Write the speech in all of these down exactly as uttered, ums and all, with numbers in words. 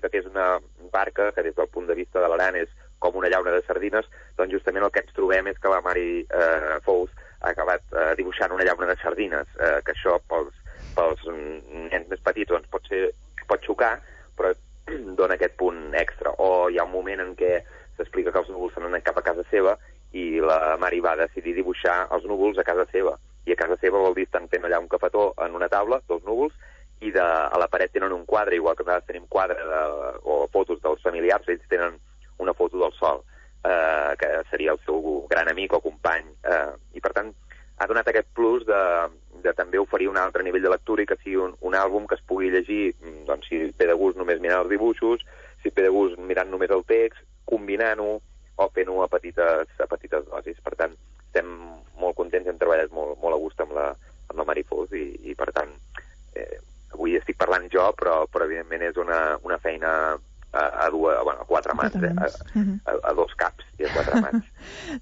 explica que és una barca que des del punt de vista de l'Aran és com una llauna de sardines, doncs justament el que ens trobem és que la Mari eh, Fous ha acabat eh, dibuixant una llauna de sardines, eh, que això pels, pels nens més petits doncs, pot, ser, pot xocar, però dona aquest punt extra. O hi ha un moment en què s'explica que els núvols s'han anat cap a casa seva i la Mari va decidir dibuixar els núvols a casa seva. I a casa seva vol dir estan fent allà un cafetó en una taula, dos núvols, i de, a la paret tenen un quadre, igual que nosaltres tenim quadre de, o fotos dels familiars, ells tenen una foto del sol, eh, que seria el seu gran amic o company. Eh, I per tant ha donat aquest plus de, de també oferir un altre nivell de lectura i que sigui un, un àlbum que es pugui llegir, doncs, si ve de gust només mirant els dibuixos, si ve de gust mirant només el text, combinant-ho o fent-ho a petites, a petites dosis. Per tant, estem molt contents, hem treballat molt, molt a gust amb la, amb la Mari Fous i, i per tant, eh, avui estic parlant jo, però, però evidentment és una, una feina a, a, dues, bueno, a quatre mans, eh? a, a, a dos caps i a quatre mans.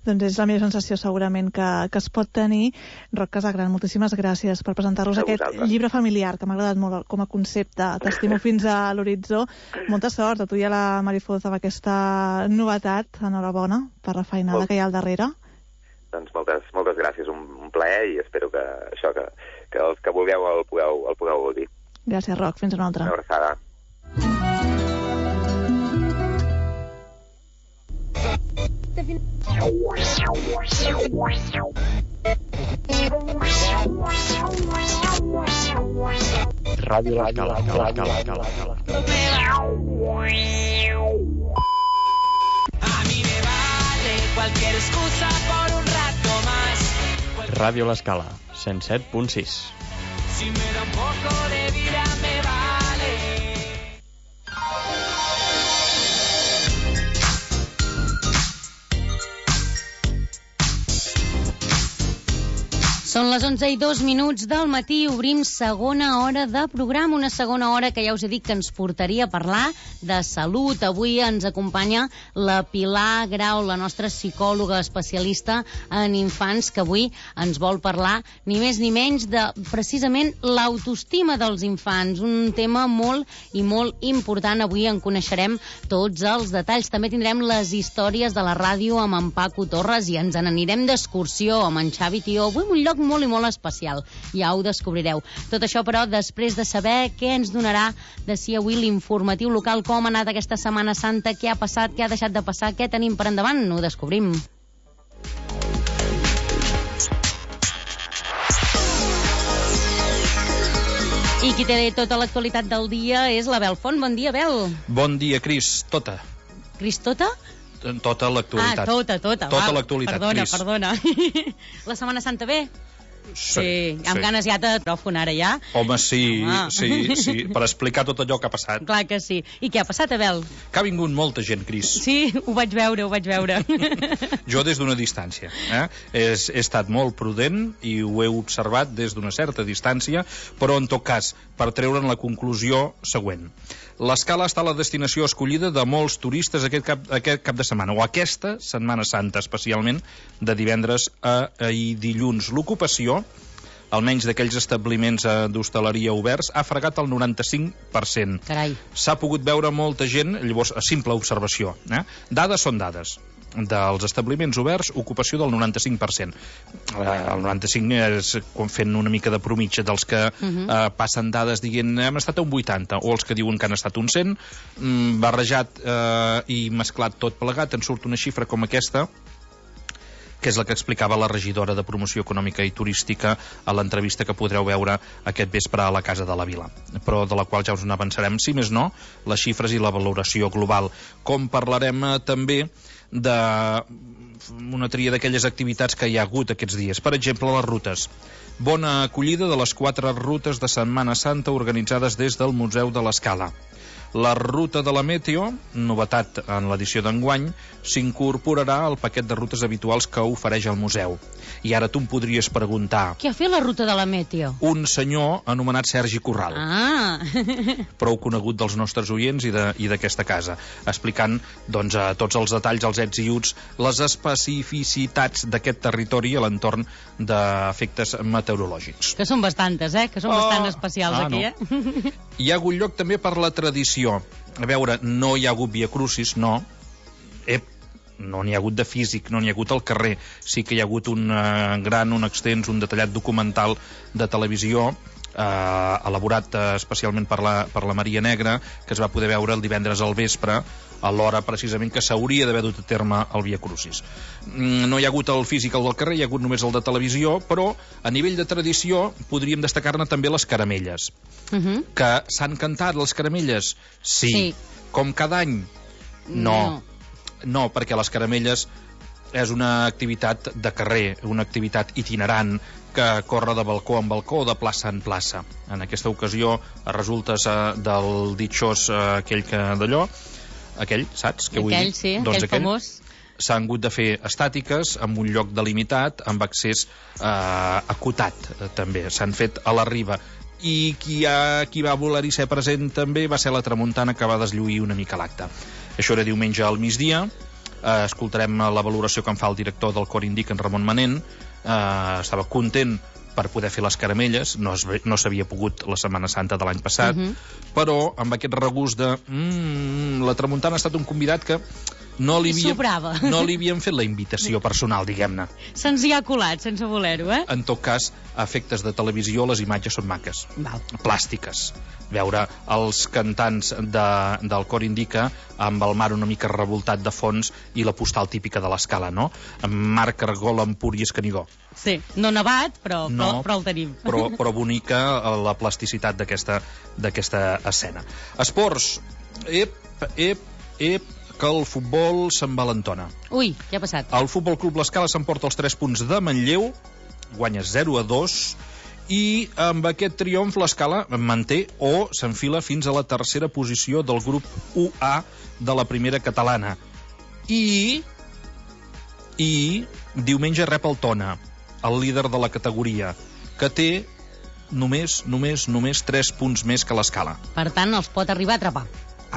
Doncs és la millor sensació segurament que, que es pot tenir. Roc Casagran, moltíssimes gràcies per presentar-nos aquest llibre familiar, que m'ha agradat molt com a concepte. T'estimo fins a l'horitzó. Molta sort a tu i a la Mari Fous amb aquesta novetat. Enhorabona per la feinada Molt... que hi ha al darrere. Doncs moltes, moltes gràcies, un, un plaer i espero que això, que, que els que vulgueu el pugueu, el pugueu gaudir. Gràcies, Roc. Fins una altra. Una abraçada. Ràdio L'Escala. Ràdio L'Escala, cent set punt sis. Si me da un poco de vida me vale. Són les onze i dos minuts del matí, obrim segona hora de programa, una segona hora que ja us he dit que ens portaria a parlar de salut. Avui ens acompanya la Pilar Grau, la nostra psicòloga especialista en infants, que avui ens vol parlar ni més ni menys de precisament l'autoestima dels infants, un tema molt i molt important. Avui en coneixerem tots els detalls. També tindrem les històries de la ràdio amb en Paco Torres i ens n'anirem d'excursió amb en Xavi Tió. Avui un lloc molt i molt especial, ja ho descobrireu. Tot això, però, després de saber què ens donarà de si avui l'informatiu local, com ha anat aquesta Setmana Santa, què ha passat, què ha deixat de passar, què tenim per endavant, ho descobrim. I qui té tota l'actualitat del dia és la Bel Font. Bon dia, Bel. Bon dia, Cris. Tota. Cris, tota? Tota l'actualitat. Ah, tota, tota. Tota l'actualitat, Perdona, Cris. perdona. La Setmana Santa bé? Sí, sí, amb sí. ganes ja de micròfon ara ja. Home, sí, Home. sí, sí, per explicar tot allò que ha passat. Clar que sí. I què ha passat, Abel? Que ha vingut molta gent, Cris. Sí, ho vaig veure, ho vaig veure. Jo des d'una distància. Eh? He, he estat molt prudent i ho he observat des d'una certa distància, però en tot cas, per treure'n la conclusió següent. L'Escala està a la destinació escollida de molts turistes aquest cap, aquest cap de setmana, o aquesta Setmana Santa, especialment de divendres a, a i dilluns. L'ocupació, almenys d'aquells establiments d'hostaleria oberts, ha fregat el noranta-cinc per cent. Carai. S'ha pogut veure molta gent, llavors, a simple observació. Eh? Dades són dades. Dels establiments oberts, ocupació del noranta-cinc per cent. El noranta-cinc és fent una mica de promitja dels que uh-huh. eh, passen dades dient hem estat a un vuitanta, o els que diuen que han estat un cent, mm, barrejat eh, i mesclat tot plegat, en surt una xifra com aquesta, que és la que explicava la regidora de Promoció Econòmica i Turística a l'entrevista que podreu veure aquest vespre a la Casa de la Vila, però de la qual ja us n'avançarem, si més no, les xifres i la valoració global. Com parlarem eh, també de una tria d'aquelles activitats que hi ha hagut aquests dies. Per exemple, les rutes. Bona acollida de les quatre rutes de Setmana Santa organitzades des del Museu de l'Escala. La ruta de la Meteo, novetat en l'edició d'enguany, s'incorporarà al paquet de rutes habituals que ofereix el museu. I ara tu em podries preguntar... Què ha fet la ruta de la Meteo? Un senyor anomenat Sergi Corral. Ah! Prou conegut dels nostres oients i, de, i d'aquesta casa, explicant doncs, a tots els detalls, els ets i uts, les especificitats d'aquest territori a l'entorn d'efectes meteorològics. Que són bastantes, eh? Que són oh, bastant especials ah, aquí, no. eh? Hi ha hagut lloc també per la tradició. A veure, no hi ha hagut Via Crucis, no. Ep, no n'hi ha hagut de físic, no n'hi ha hagut al carrer. Sí que hi ha hagut un uh, gran, un extens, un detallat documental de televisió eh, elaborat uh, especialment per la, per la Maria Negra, que es va poder veure el divendres al vespre, a l'hora precisament que s'hauria d'haver dut a terme el Via Crucis. Mm, no hi ha hagut el físic al del carrer, hi ha hagut només el de televisió, però a nivell de tradició podríem destacar-ne també les caramelles. Uh -huh. Que s'han cantat les caramelles? Sí. sí. Com cada any? No. No. No, perquè les caramelles és una activitat de carrer, una activitat itinerant que corre de balcó en balcó, de plaça en plaça. En aquesta ocasió resultes eh, del ditxós eh, aquell que d'allò, aquell, saps? Què vull aquell, dir? sí, doncs aquell, aquell famós. S'han hagut de fer estàtiques amb un lloc delimitat, amb accés eh, acotat, eh, també. S'han fet a la riba. I qui, ha, qui va voler-hi ser present també va ser la Tramuntana, que va deslluir una mica l'acte. Això era diumenge al migdia. Eh, escoltarem la valoració que en fa el director del Cor Indica, en Ramon Manent. Eh, estava content per poder fer les caramelles, no, es, no s'havia pogut la Setmana Santa de l'any passat, uh-huh. però amb aquest regust de mm, la Tramuntana ha estat un convidat que no li, havia, no li havien fet la invitació personal, diguem-ne. Se'ns hi ha colat, sense voler-ho, eh? En tot cas, a efectes de televisió, les imatges són maques. Val. Plàstiques. Veure els cantants de, del Cor Indica amb el mar una mica revoltat de fons i la postal típica de l'Escala, no? Amb Marc Argol, Empúries, Canigó. Sí, no nevat, però, no, però, però el tenim. Però, però bonica la plasticitat d'aquesta escena. Esports. Ep, ep, ep, que el futbol s'envalentona. Ui, què ha passat? El Futbol Club L'Escala s'emporta els tres punts de Manlleu, guanya zero a dos, i amb aquest triomf l'Escala manté o s'enfila fins a la tercera posició del grup u A de la primera catalana. I, i diumenge rep el Tona, el líder de la categoria, que té només, només, només tres punts més que l'Escala. Per tant, els pot arribar a atrapar.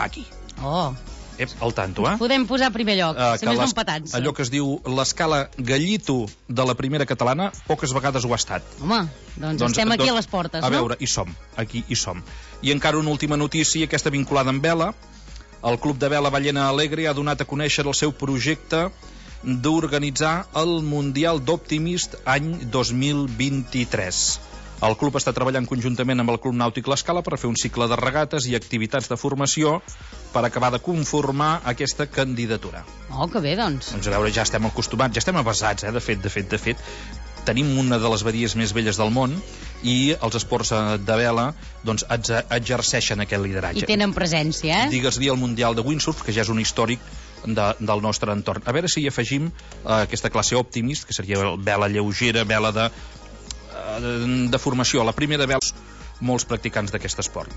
Aquí. Oh. Ep, al tanto, eh? Podem posar a primer lloc, uh, si més no empatats. Allò que es diu l'Escala Gallito de la primera catalana, poques vegades ho ha estat. Home, doncs, doncs estem aquí doncs, a les portes, a no? A veure, hi som, aquí hi som. I encara una última notícia, aquesta vinculada amb vela. El Club de Vela Ballena Alegre ha donat a conèixer el seu projecte d'organitzar el Mundial d'Optimist any dos mil vint-i-tres. El club està treballant conjuntament amb el Club Nàutic L'Escala per fer un cicle de regates i activitats de formació per acabar de conformar aquesta candidatura. Oh, que bé, doncs. Doncs a veure, ja estem acostumats, ja estem avasats, eh, de fet, de fet, de fet. Tenim una de les badies més velles del món i els esports de vela doncs, exerceixen aquest lideratge. I tenen presència, eh? Digues-li el Mundial de Windsurf, que ja és un històric de, del nostre entorn. A veure si hi afegim eh, aquesta classe Optimist, que seria vela lleugera, vela de, eh, de formació. La primera vela, molts practicants d'aquest esport.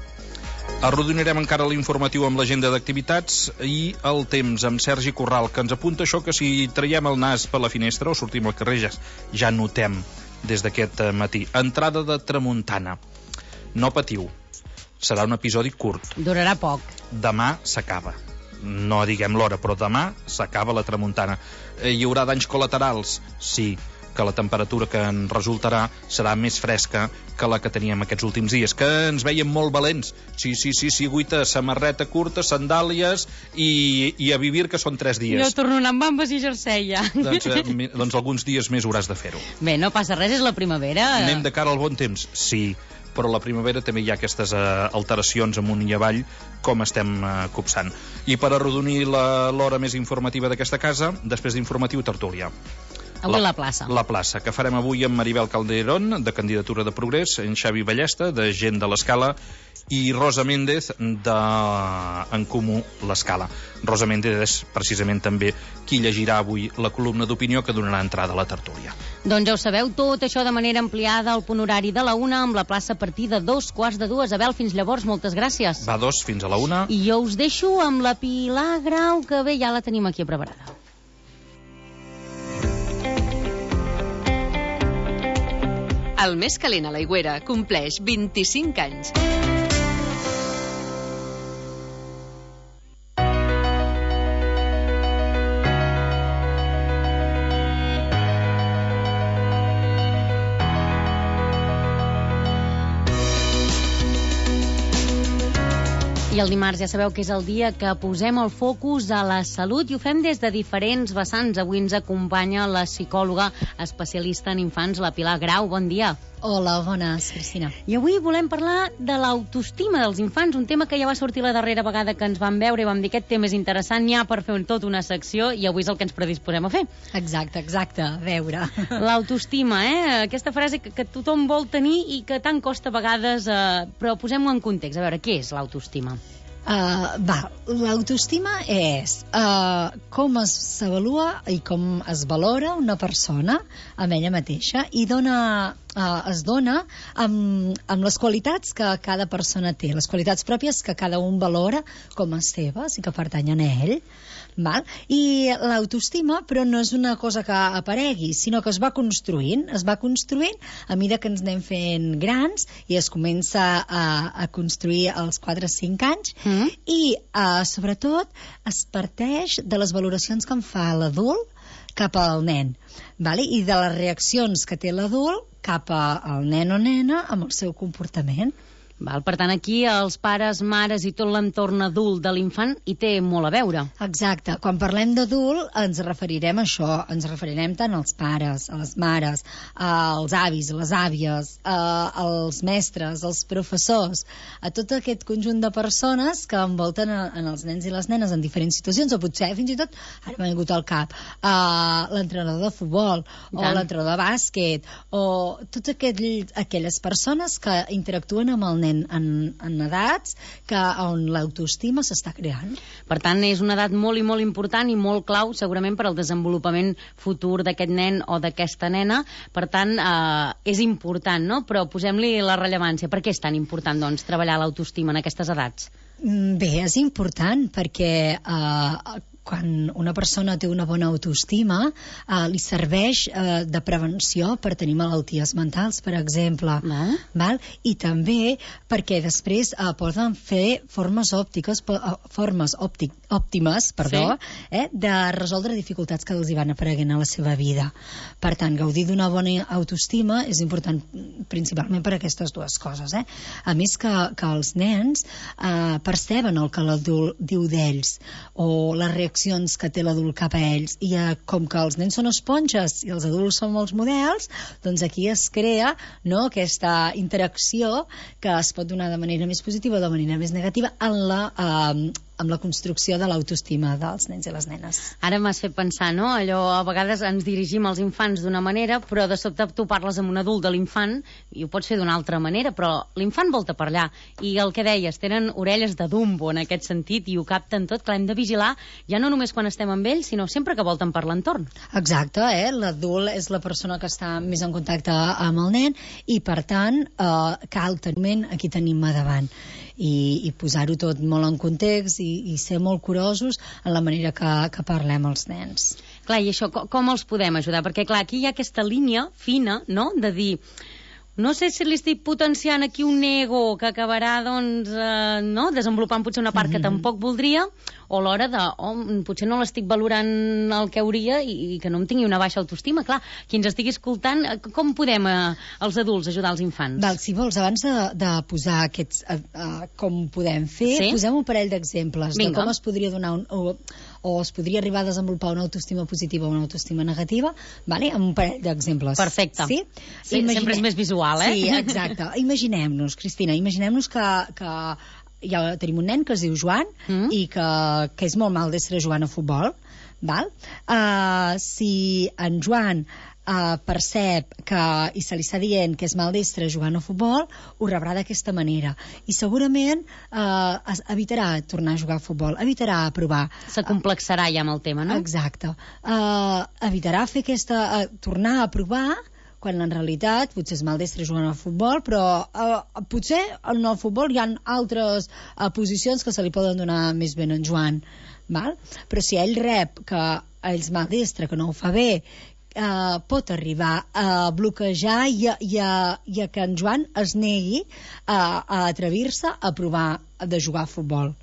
Arrodonirem encara l'informatiu amb l'agenda d'activitats i el temps amb Sergi Corral, que ens apunta això que si traiem el nas per la finestra o sortim al carrer ja, ja notem des d'aquest matí. Entrada de tramuntana. No patiu. Serà un episodi curt. Durarà poc. Demà s'acaba. No diguem l'hora, però demà s'acaba la tramuntana. Hi haurà danys col·laterals? Sí, que la temperatura que en resultarà serà més fresca que la que teníem aquests últims dies, que ens veiem molt valents. Sí, sí, sí, sí, guita, samarreta curta, sandàlies i, i a vivir, que són tres dies. Jo torno amb bambes i jersei, ja. Doncs, eh, doncs alguns dies més hauràs de fer-ho. Bé, no passa res, és la primavera. Anem de cara al bon temps? Sí, però a la primavera també hi ha aquestes uh, alteracions amunt i avall, com estem uh, copsant. I per arrodonir l'hora més informativa d'aquesta casa, després d'informatiu, tertúlia. Avui la, la plaça. La plaça, que farem avui amb Maribel Calderón, de Candidatura de Progrés, en Xavi Ballesta, de Gent de l'Escala, i Rosa Méndez, de En Comú l'Escala. Rosa Méndez és precisament també qui llegirà avui la columna d'opinió que donarà entrada a la tertúlia. Doncs ja ho sabeu, tot això de manera ampliada al punt horari de la una, amb la plaça a partir de dos quarts de dues. Abel, fins llavors, moltes gràcies. Va, dos, fins a la una. I jo us deixo amb la Pilar Grau, que bé, ja la tenim aquí preparada. El més calent a l'Aigüera compleix vint-i-cinc anys. I el dimarts ja sabeu que és el dia que posem el focus a la salut i ho fem des de diferents vessants. Avui ens acompanya la psicòloga especialista en infants, la Pilar Grau. Bon dia. Hola, bones, Cristina. I avui volem parlar de l'autoestima dels infants, un tema que ja va sortir la darrera vegada que ens vam veure i vam dir aquest tema és interessant, n'hi ha per fer tot una secció i avui és el que ens predisposem a fer. Exacte, exacte, a veure. L'autoestima, eh? Aquesta frase que, que tothom vol tenir i que tant costa a vegades, eh, però posem-ho en context. A veure, què és l'autoestima? Uh, va, l'autoestima és uh, com s'avalua i com es valora una persona amb ella mateixa i dona, uh, es dona amb, amb les qualitats que cada persona té, les qualitats pròpies que cada un valora com a seves i que pertanyen a ell. Val? I l'autoestima, però no és una cosa que aparegui, sinó que es va construint, es va construint a mesura que ens anem fent grans i es comença a, a construir als quatre o cinc anys mm. i uh, sobretot es parteix de les valoracions que en fa l'adult cap al nen, vale? I de les reaccions que té l'adult cap al nen o nena amb el seu comportament. Val, per tant, aquí els pares, mares i tot l'entorn adult de l'infant hi té molt a veure. Exacte. Quan parlem d'adult ens referirem a això, ens referirem tant als pares, a les mares, als avis, a les àvies, als mestres, als professors, a tot aquest conjunt de persones que envolten en els nens i les nenes en diferents situacions, o potser fins i tot, ara m'ha vingut al cap, l'entrenador de futbol, o l'entrenador de bàsquet, o totes aquelles persones que interactuen amb el nen En, en edats que on l'autoestima s'està creant. Per tant, és una edat molt i molt important i molt clau segurament per al desenvolupament futur d'aquest nen o d'aquesta nena. Per tant, eh, és important, no? Però posem-li la rellevància. Per què és tan important, doncs, treballar l'autoestima en aquestes edats? Bé, és important perquè eh, quan una persona té una bona autoestima eh, li serveix eh, de prevenció per tenir malalties mentals, per exemple. Ah. Val? I també perquè després eh, poden fer formes òptiques, uh, formes òptic, òptimes perdó, sí. eh, de resoldre dificultats que els hi van apareguent a la seva vida. Per tant, gaudir d'una bona autoestima és important principalment per aquestes dues coses. Eh? A més que, que els nens eh, perceben el que l'adult diu d'ells o les reaccions que té l'adult cap a ells i eh, com que els nens són esponges i els adults són molts models, doncs aquí es crea, no, aquesta interacció que es pot donar de manera més positiva o de manera més negativa en la, eh, amb la construcció de l'autoestima dels nens i les nenes. Ara m'has fet pensar, no? Allò, a vegades ens dirigim als infants d'una manera, però de sobte tu parles amb un adult de l'infant i ho pots fer d'una altra manera, però l'infant volta per allà. I el que deies, tenen orelles de Dumbo en aquest sentit i ho capten tot, clar, hem de vigilar ja no només quan estem amb ells, sinó sempre que volten per l'entorn. Exacte, eh? L'adult és la persona que està més en contacte amb el nen i, per tant, eh, cal tenir aquí tenim a davant. I, i posar-ho tot molt en context i, i ser molt curosos en la manera que, que parlem als nens. Clar, i això, com, com els podem ajudar? Perquè, clar, aquí hi ha aquesta línia fina, no?, de dir, no sé si li estic potenciant aquí un ego que acabarà, doncs, eh, no?, desenvolupant potser una part que mm-hmm. tampoc voldria, o l'hora de, oh, potser no l'estic valorant el que hauria i, i que no em tingui una baixa autoestima. Clar, qui ens estigui escoltant, com podem eh, els adults ajudar els infants? Val, si vols, abans de, de posar aquests, uh, uh, com podem fer, sí? Posem un parell d'exemples de com es podria donar un, o, o es podria arribar a desenvolupar una autoestima positiva o una autoestima negativa, vale? Amb un parell d'exemples. Perfecte. Sí? Sí, Imagine... sempre és més visual, eh? Sí, exacte. Imaginem-nos, Cristina, imaginem-nos que, que ja tenim un nen que es diu Joan mm. i que, que és molt maldestre jugant a futbol, val? Uh, si en Joan uh, percep que, i se li està dient que és maldestre jugant a futbol, ho rebrà d'aquesta manera i segurament uh, es, evitarà tornar a jugar a futbol, evitarà provar. S'acomplexarà ja amb el tema, no? Exacte. Uh, evitarà fer aquesta, uh, tornar a provar quan en realitat potser és maldestre jugant al futbol, però eh, potser en el futbol hi ha altres eh, posicions que se li poden donar més ben en Joan, val? Però si ell rep que ell és maldestre, que no ho fa bé, eh, pot arribar a bloquejar i a, i, a, i a que en Joan es negui a, a atrevir-se a provar de jugar a futbol.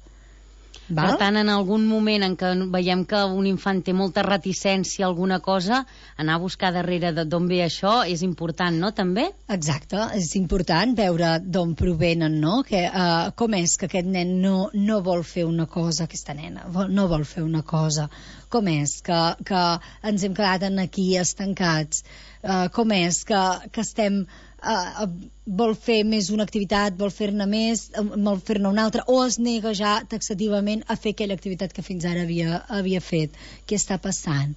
Val? Per tant, en algun moment en què veiem que un infant té molta reticència a alguna cosa, anar a buscar darrere d'on ve això és important, no, també? Exacte, és important veure d'on provenen, no? Que, uh, com és que aquest nen no, no vol fer una cosa, aquesta nena no vol fer una cosa, com és que, que ens hem quedat aquí estancats, uh, com és que, que estem... Uh, vol fer més una activitat, vol fer-ne més, vol fer-ne una altra, o es nega ja taxativament a fer aquella activitat que fins ara havia, havia fet. Què està passant?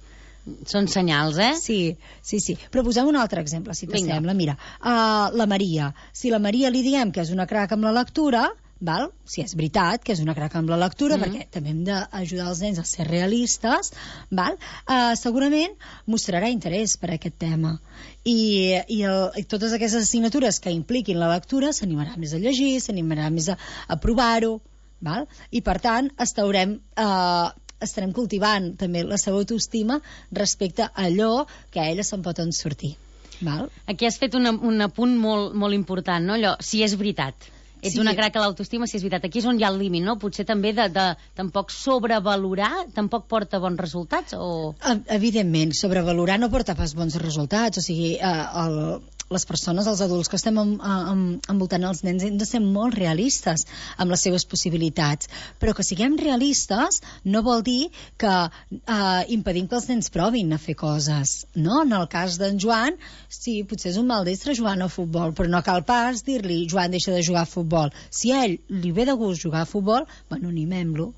Són senyals, eh? Sí, sí, sí. Però posem un altre exemple, si t'assembla. Mira, uh, la Maria. Si la Maria li diem que és una crac amb la lectura, val? Si és veritat que és una crac amb la lectura, mm. perquè també hem d'ajudar els nens a ser realistes, val? Uh, segurament mostrarà interès per aquest tema i, i, el, i totes aquestes assignatures que impliquin la lectura s'animarà més a llegir, s'animarà més a, a provar-ho, val? I per tant estarem, uh, estarem cultivant també la seva autoestima respecte a allò que a ella se'n pot en sortir, val? Aquí has fet una, un apunt molt, molt important, no? Allò, si és veritat. Ets sí. una crac a l'autoestima, si és veritat. Aquí és on hi ha el límit, no? Potser també de, de tampoc sobrevalorar tampoc porta bons resultats, o...? Evidentment, sobrevalorar no porta pas bons resultats, o sigui, eh, el, les persones, els adults que estem en, en, envoltant els nens hem de ser molt realistes amb les seves possibilitats, però que siguem realistes no vol dir que eh, impedim que els nens provin a fer coses, no? En el cas d'en Joan, sí, potser és un maldestre jugant a futbol, però no cal pas dir-li Joan, deixa de jugar a futbol. Si a ell li ve de gust jugar a futbol, bueno, animem-lo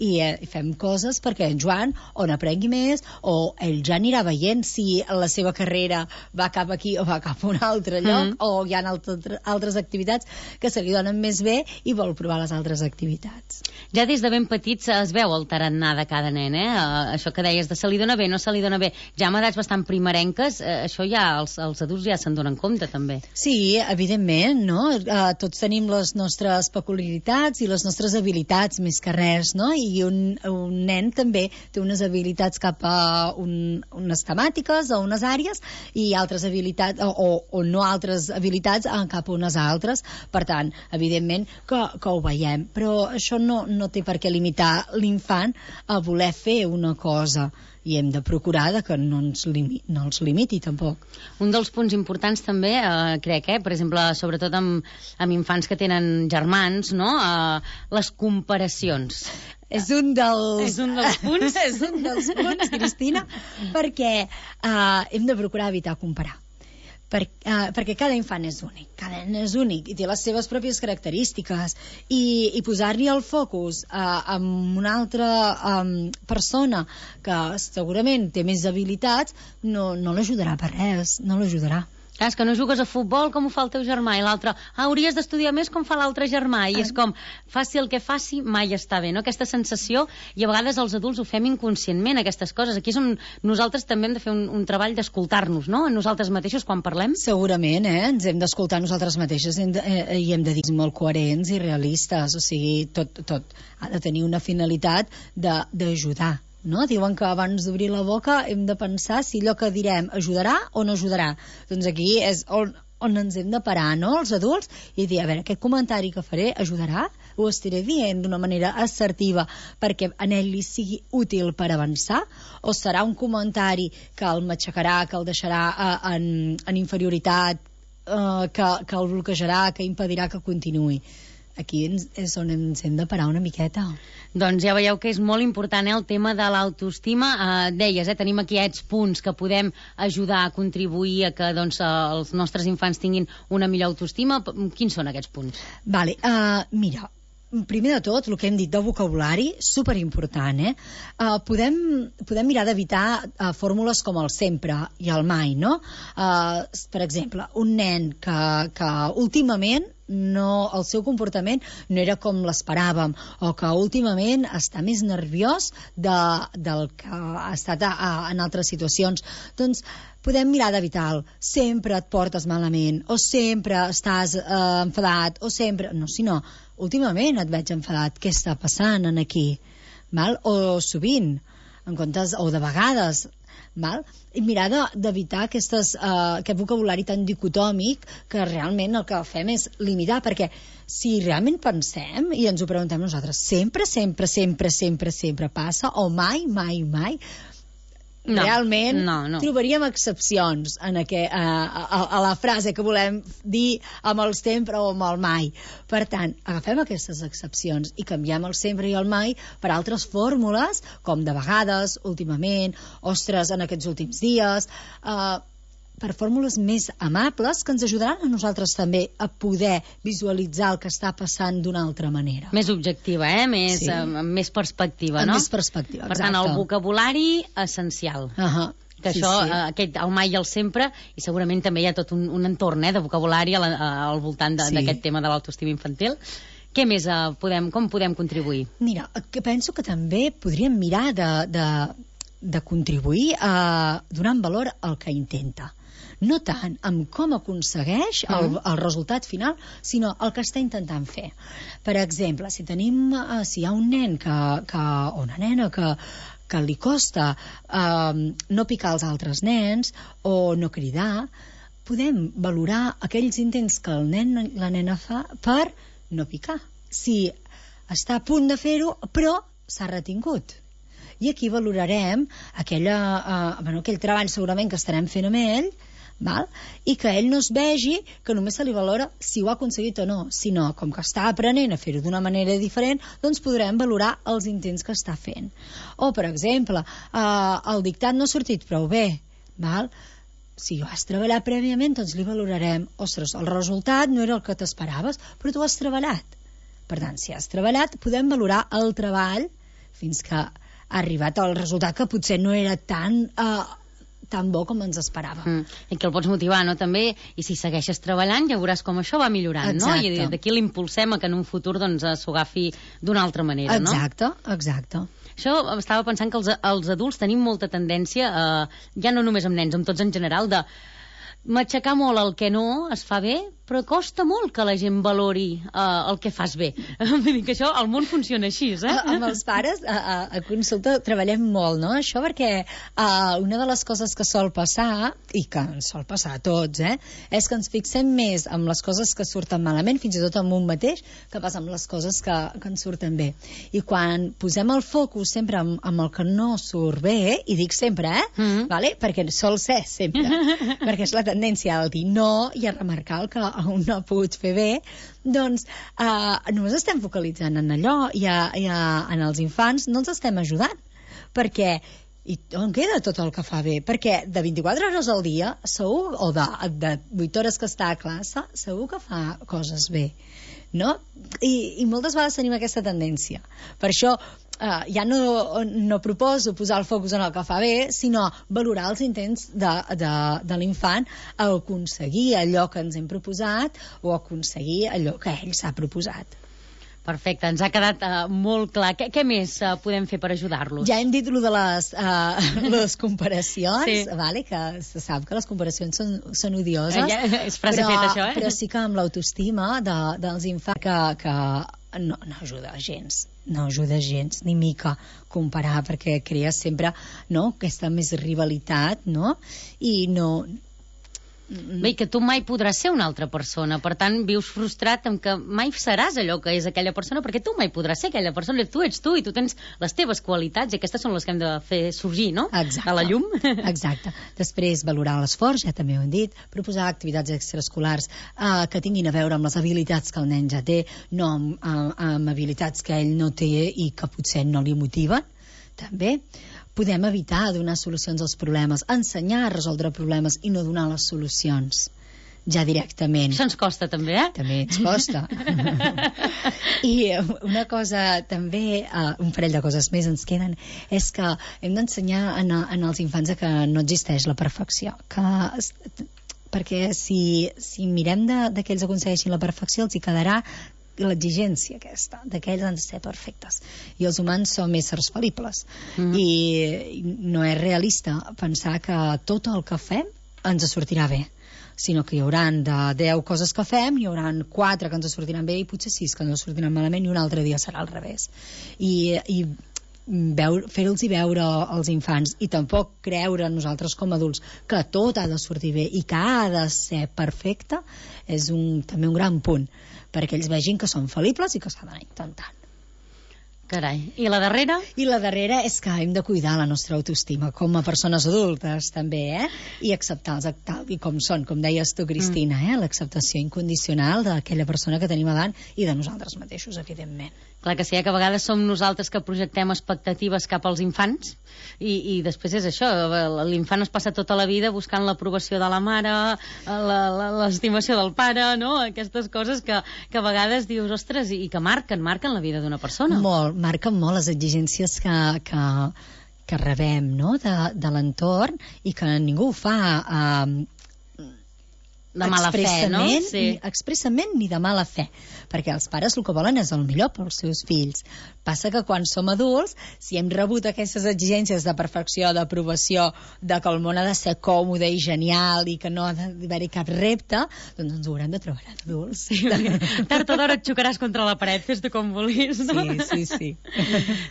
i eh, fem coses perquè en Joan o n'aprengui més, o ell ja anirà veient si la seva carrera va cap aquí o va cap a un altre lloc, mm. o hi ha altres, altres activitats que se li donen més bé i vol provar les altres activitats. Ja des de ben petits es veu el tarannà de cada nen, eh? Uh, això que deies de se li dona bé, no se li dona bé. Ja amb edats bastant primerenques, uh, això ja els, els adults ja se'n donen compte, també. Sí, evidentment, no? Uh, tots tenim les nostres peculiaritats i les nostres habilitats, més que res, no? I un, un nen també té unes habilitats cap a un, unes temàtiques o unes àrees i altres habilitats, o, o no altres habilitats cap a unes altres. Per tant, evidentment que, que ho veiem, però això no, no té per què limitar l'infant a voler fer una cosa, i hem de procurar de que no ens, limi, no ens limiti tampoc. Un dels punts importants també, eh, crec, eh, per exemple, sobretot amb, amb infants que tenen germans, no? Eh, les comparacions. És un dels... És un dels punts. És un dels punts, Cristina, perquè uh, hem de procurar evitar comparar. Per, uh, perquè cada infant és únic, cada nen és únic i té les seves pròpies característiques, i, i posar-li el focus uh, amb una altra um, persona que segurament té més habilitats no, no l'ajudarà per res, no l'ajudarà. Clar, és que no jugues a futbol com ho fa el teu germà, i l'altre, ah, hauries d'estudiar més com fa l'altre germà, i és com, faci el que faci, mai està bé, no? Aquesta sensació, i a vegades els adults ho fem inconscientment, aquestes coses. Aquí és on nosaltres també hem de fer un, un treball d'escoltar-nos, no?, a nosaltres mateixos quan parlem. Segurament, eh? Ens hem d'escoltar nosaltres mateixes hem de, eh, i hem de dir molt coherents i realistes, o sigui, tot, tot ha de tenir una finalitat d'ajudar. No? Diuen que abans d'obrir la boca hem de pensar si allò que direm ajudarà o no ajudarà. Doncs aquí és on, on ens hem de parar, no?, els adults, i dir, a veure, aquest comentari que faré ajudarà? Ho estaré dient d'una manera assertiva perquè en ell li sigui útil per avançar? O serà un comentari que el matxacarà, que el deixarà uh, en, en inferioritat, uh, que, que el bloquejarà, que impedirà que continuï? Aquí ens, és on ens hem de parar una miqueta. Doncs ja veieu que és molt important, eh, el tema de l'autoestima. Eh, deies, eh, tenim aquí aquests punts que podem ajudar a contribuir a que doncs, els nostres infants tinguin una millor autoestima. Quins són aquests punts? Vale, uh, mira, primer de tot, el que hem dit de vocabulari, superimportant, eh? Uh, podem, podem mirar d'evitar uh, fórmules com el sempre i el mai, no? Uh, per exemple, un nen que, que últimament no, el seu comportament no era com l'esperàvem, o que últimament està més nerviós de, del que ha estat a, a, en altres situacions, doncs podem mirar d'evitar-lo. Sempre et portes malament, o sempre estàs eh, enfadat, o sempre... No, si no, últimament et veig enfadat, què està passant en aquí? Val? O sovint, en comptes, o de vegades, val? I mirar d'evitar aquestes, uh, aquest vocabulari tan dicotòmic que realment el que fem és limitar, perquè si realment pensem i ens ho preguntem nosaltres, sempre, sempre, sempre, sempre, sempre passa, o mai, mai, mai, no, realment no, no. trobaríem excepcions en aquest, a, a, a la frase que volem dir amb el sempre o amb el mai. Per tant, agafem aquestes excepcions i canviem el sempre i el mai per altres fórmules, com de vegades, últimament, ostres, en aquests últims dies, eh, per fórmules més amables que ens ajudaran a nosaltres també a poder visualitzar el que està passant d'una altra manera. Més objectiva, eh? Més, sí. amb, amb més perspectiva, amb no? Amb més perspectiva, per exacte. tant, el vocabulari essencial. Uh -huh. Que sí, això, sí. aquest, el mai i el sempre, i segurament també hi ha tot un, un entorn eh, de vocabulari al, al voltant d'aquest sí. tema de l'autoestima infantil. Què més uh, podem, com podem contribuir? Mira, que penso que també podríem mirar de, de, de contribuir a donar valor al que intenta. No tant amb com aconsegueix el, el resultat final, sinó el que està intentant fer. Per exemple, si tenim, uh, si hi ha un nen que, que, o una nena que, que li costa uh, no picar els altres nens o no cridar, podem valorar aquells intents que el nen la nena fa per no picar. Si està a punt de fer-ho, però s'ha retingut. I aquí valorarem aquella, uh, bueno, aquell treball segurament que estarem fent amb ell, val? I que ell no es vegi que només se li valora si ho ha aconseguit o no, sinó com que està aprenent a fer-ho d'una manera diferent, doncs podrem valorar els intents que està fent. O, per exemple, eh, el dictat no ha sortit prou bé, val? Si ho has treballat prèviament, doncs li valorarem, ostres, el resultat no era el que t'esperaves, però tu has treballat. Per tant, si has treballat, podem valorar el treball fins que ha arribat al resultat que potser no era tan... Eh, tan bo com ens esperàvem. Mm. I que el pots motivar, no?, també, i si segueixes treballant ja veuràs com això va millorant, exacte. No? I d'aquí l'impulsem a que en un futur doncs s'ho agafi d'una altra manera, exacte, no? Exacte, exacte. Això estava pensant que els, els adults tenim molta tendència, eh, ja no només amb nens, amb tots en general, de matxacar molt el que no es fa bé, però costa molt que la gent valori uh, el que fas bé. Vull dir que això, el món funciona així, eh? A, amb els pares, a, a, a consulta, treballem molt, no?, això, perquè uh, una de les coses que sol passar, i que ens sol passar a tots, eh, és que ens fixem més en les coses que surten malament, fins i tot en un mateix, que passa amb les coses que, que ens surten bé. I quan posem el focus sempre amb, amb el que no surt bé, i dic sempre, eh, mm-hmm. vale? Perquè sol ser sempre, perquè és la tendència a dir no i a remarcar el que un no ha pogut fer bé, doncs eh, només estem focalitzant en allò i, a, i a, en els infants no ens estem ajudant, perquè i on queda tot el que fa bé? Perquè de vint-i-quatre hores al dia segur, o de, de vuit hores que està a classe, segur que fa coses bé, no? I, i moltes vegades tenim aquesta tendència. Per això Uh, ja no, no proposo posar el focus en el que fa bé, sinó valorar els intents de, de, de l'infant a aconseguir allò que ens hem proposat o aconseguir allò que ell s'ha proposat. Perfecte, ens ha quedat uh, molt clar. Què, què més uh, podem fer per ajudar-los? Ja hem dit lo de les, uh, les comparacions, sí. vale? Que se sap que les comparacions són, són odioses, eh, ja, és frase però, feta, això, eh? però sí que amb l'autoestima de, dels infants que, que no, no ajuda gens, no ajuda gens, ni mica comparar, perquè crea sempre, no?, aquesta més rivalitat, no?, i no... Bé, que tu mai podràs ser una altra persona, per tant vius frustrat amb que mai seràs allò que és aquella persona, perquè tu mai podràs ser aquella persona, tu ets tu i tu tens les teves qualitats i aquestes són les que hem de fer sorgir, no?, exacte, a la llum. Exacte. Després valorar l'esforç, ja també ho hem dit, proposar activitats extraescolars eh, que tinguin a veure amb les habilitats que el nen ja té, no amb, amb, amb habilitats que ell no té i que potser no li motiven, també. Podem evitar donar solucions als problemes, ensenyar a resoldre problemes i no donar les solucions ja directament. Això ens costa també, eh? També ens costa. I una cosa també, uh, un parell de coses més ens queden, és que hem d'ensenyar en, en els infants que no existeix la perfecció, que perquè si, si mirem de, de que ells aconsegueixin la perfecció els hi quedarà l'exigència aquesta, de que ells han de ser perfectes, i els humans som éssers fal·libles, mm. i no és realista pensar que tot el que fem ens sortirà bé, sinó que hi haurà de deu coses que fem, hi haurà quatre que ens sortiran bé i potser sis que ens sortiran malament i un altre dia serà al revés, i, i fer-los veure als infants i tampoc creure nosaltres com a adults que tot ha de sortir bé i que ha de ser perfecte és un, també un gran punt perquè ells vegin que són fal·libles i que s'ha d'anar intentant. Carai. I la darrera? I la darrera és que hem de cuidar la nostra autoestima com a persones adultes també, eh? I acceptar-los tal i com són, com deies tu, Cristina, eh? L'acceptació incondicional d'aquella persona que tenim davant i de nosaltres mateixos, evidentment. Clar que sí, eh? Que a vegades som nosaltres que projectem expectatives cap als infants i, i després és això, l'infant es passa tota la vida buscant l'aprovació de la mare, l'estimació del pare, no? Aquestes coses que, que a vegades dius, ostres, i que marquen, marquen la vida d'una persona. Molt, marquen molt les exigències que, que, que rebem, no? de, de l'entorn i que ningú ho fa eh, de mala fe, no? Sí. Expressament ni de mala fe, perquè els pares el que volen és el millor pels seus fills. Passa que quan som adults, si hem rebut aquestes exigències de perfecció, d'aprovació, de que el món ha de ser còmode i genial i que no ha d'haver-hi cap repte, doncs ens ho haurem de trobar adults. Sí, tard o d'hora et xocaràs contra la paret, fes-te com vulguis, no? Sí, sí, sí.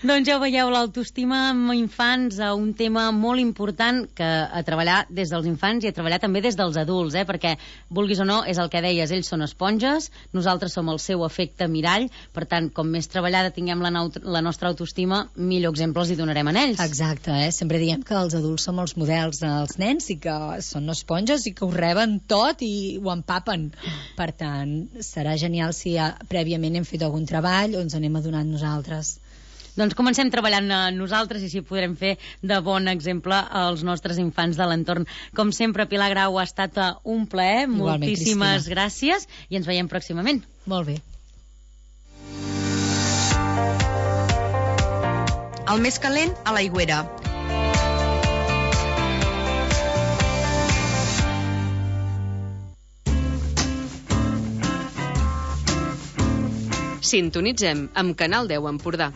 Doncs ja ho veieu, l'autoestima amb infants, un tema molt important que a treballar des dels infants i a treballar també des dels adults, eh? Perquè vulguis o no, és el que deies, ells són esponges, nosaltres som el seu efecte mirall, per tant, com més treballada tinguem la, la nostra autoestima, millor exemple els hi donarem a ells. Exacte, eh? Sempre diem que els adults som els models dels nens i que són esponges i que ho reben tot i ho empapen. Per tant, serà genial si ja, prèviament hem fet algun treball o ens anem adonant nosaltres. Doncs comencem treballant nosaltres i així podrem fer de bon exemple als nostres infants de l'entorn. Com sempre, Pilar Grau, ha estat un plaer. Igualment, moltíssimes Cristina. Gràcies i ens veiem pròximament. Molt bé. El més calent a l'Aigüera. Sintonitzem amb Canal deu Empordà.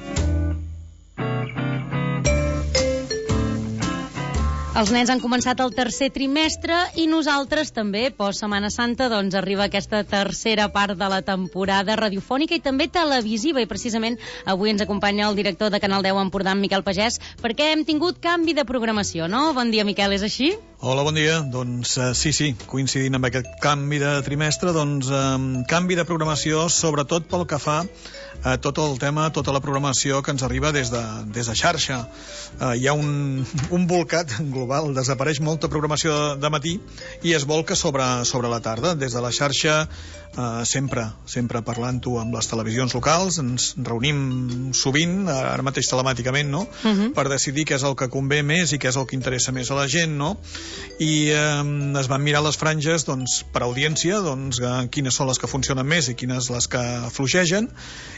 Els nens han començat el tercer trimestre i nosaltres també, post Setmana Santa, doncs arriba aquesta tercera part de la temporada radiofònica i també televisiva, i precisament avui ens acompanya el director de Canal deu Empordà, en Miquel Pagès, perquè hem tingut canvi de programació, no? Bon dia, Miquel, és així? Hola, bon dia. Doncs uh, sí, sí, coincidint amb aquest canvi de trimestre, doncs um, canvi de programació, sobretot pel que fa a tot el tema, tota la programació que ens arriba des de, des de xarxa. Uh, hi ha un, un volcat global, desapareix molta programació de, de matí i es volca sobre, sobre la tarda. Des de la xarxa, uh, sempre, sempre parlant-ho amb les televisions locals, ens reunim sovint, ara mateix telemàticament, no? Uh-huh. Per decidir què és el que convé més i què és el que interessa més a la gent, no? I eh, es van mirar les franges doncs, per audiència, doncs, eh, quines són les que funcionen més i quines les que fluixegen,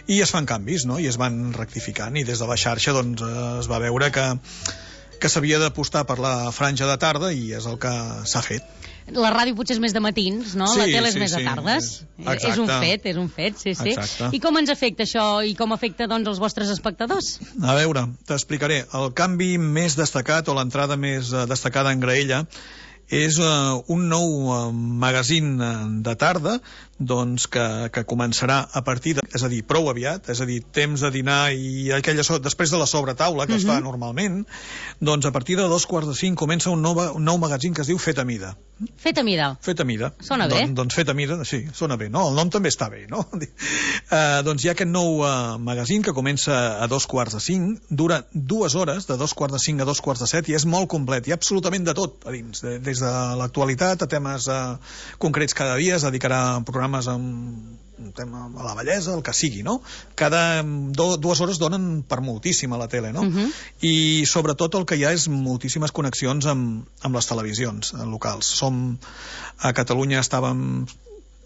i es fan canvis, no? I es van rectificant, i des de la xarxa doncs, eh, es va veure que, que s'havia d'apostar per la franja de tarda i és el que s'ha fet. La ràdio potser és més de matins, no? Sí, la tele és sí, més sí, de tardes. és, és un fet, és un fet, sí, sí. Exacte. I com ens afecta això i com afecta doncs els vostres espectadors? A veure, t'explicaré. El canvi més destacat o l'entrada més uh, destacada en graella és uh, un nou uh, magazín uh, de tarda doncs que, que començarà a partir de, és a dir, prou aviat, és a dir, temps de dinar i aquella so, després de la sobretaula que uh-huh. es fa normalment, doncs a partir de dos quarts de cinc comença un nou, un nou magazín que es diu Fet a Mida. Fet a Mida? Fet a Mida. Sona bé. Don, doncs Fet a Mida, sí, sona bé, no? El nom també està bé, no? Uh, doncs hi ha aquest nou uh, magazín que comença a dos quarts de cinc, dura dues hores, de dos quarts de cinc a dos quarts de set, i és molt complet, hi ha absolutament de tot a dins, de, des de l'actualitat a temes uh, concrets cada dia, es dedicarà a programes amb un tema a la bellesa, el que sigui, no? Cada do, dues hores donen per moltíssim a la tele, no? Uh-huh. I sobretot el que hi ha és moltíssimes connexions amb, amb les televisions locals. Som, a Catalunya estàvem...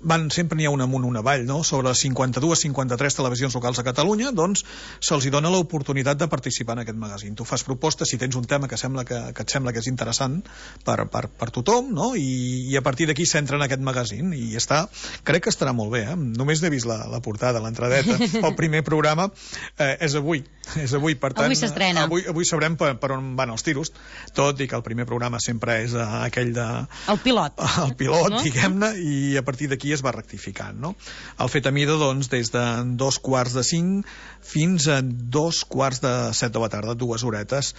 Van, sempre n'hi ha una amunt, una avall, no? Sobre cinquanta-dues cinquanta-tres televisions locals a Catalunya, doncs se'ls dona l'oportunitat de participar en aquest magazín. Tu fas propostes si tens un tema que, sembla que, que et sembla que és interessant per, per, per tothom, no? I, i a partir d'aquí s'entra en aquest magazín i està, crec que estarà molt bé, eh? Només n'he vist la, la portada, l'entradeta. El primer programa eh, és avui, és avui, per tant... Avui s'estrena. Avui, avui sabrem per, per on van els tiros, tot i que el primer programa sempre és uh, aquell de... El pilot. El pilot, no? diguem-ne, i a partir d'aquí aquí es va rectificant, no? El fetamida, doncs, des de dos quarts de cinc fins a dos quarts de set de la tarda, dues horetes.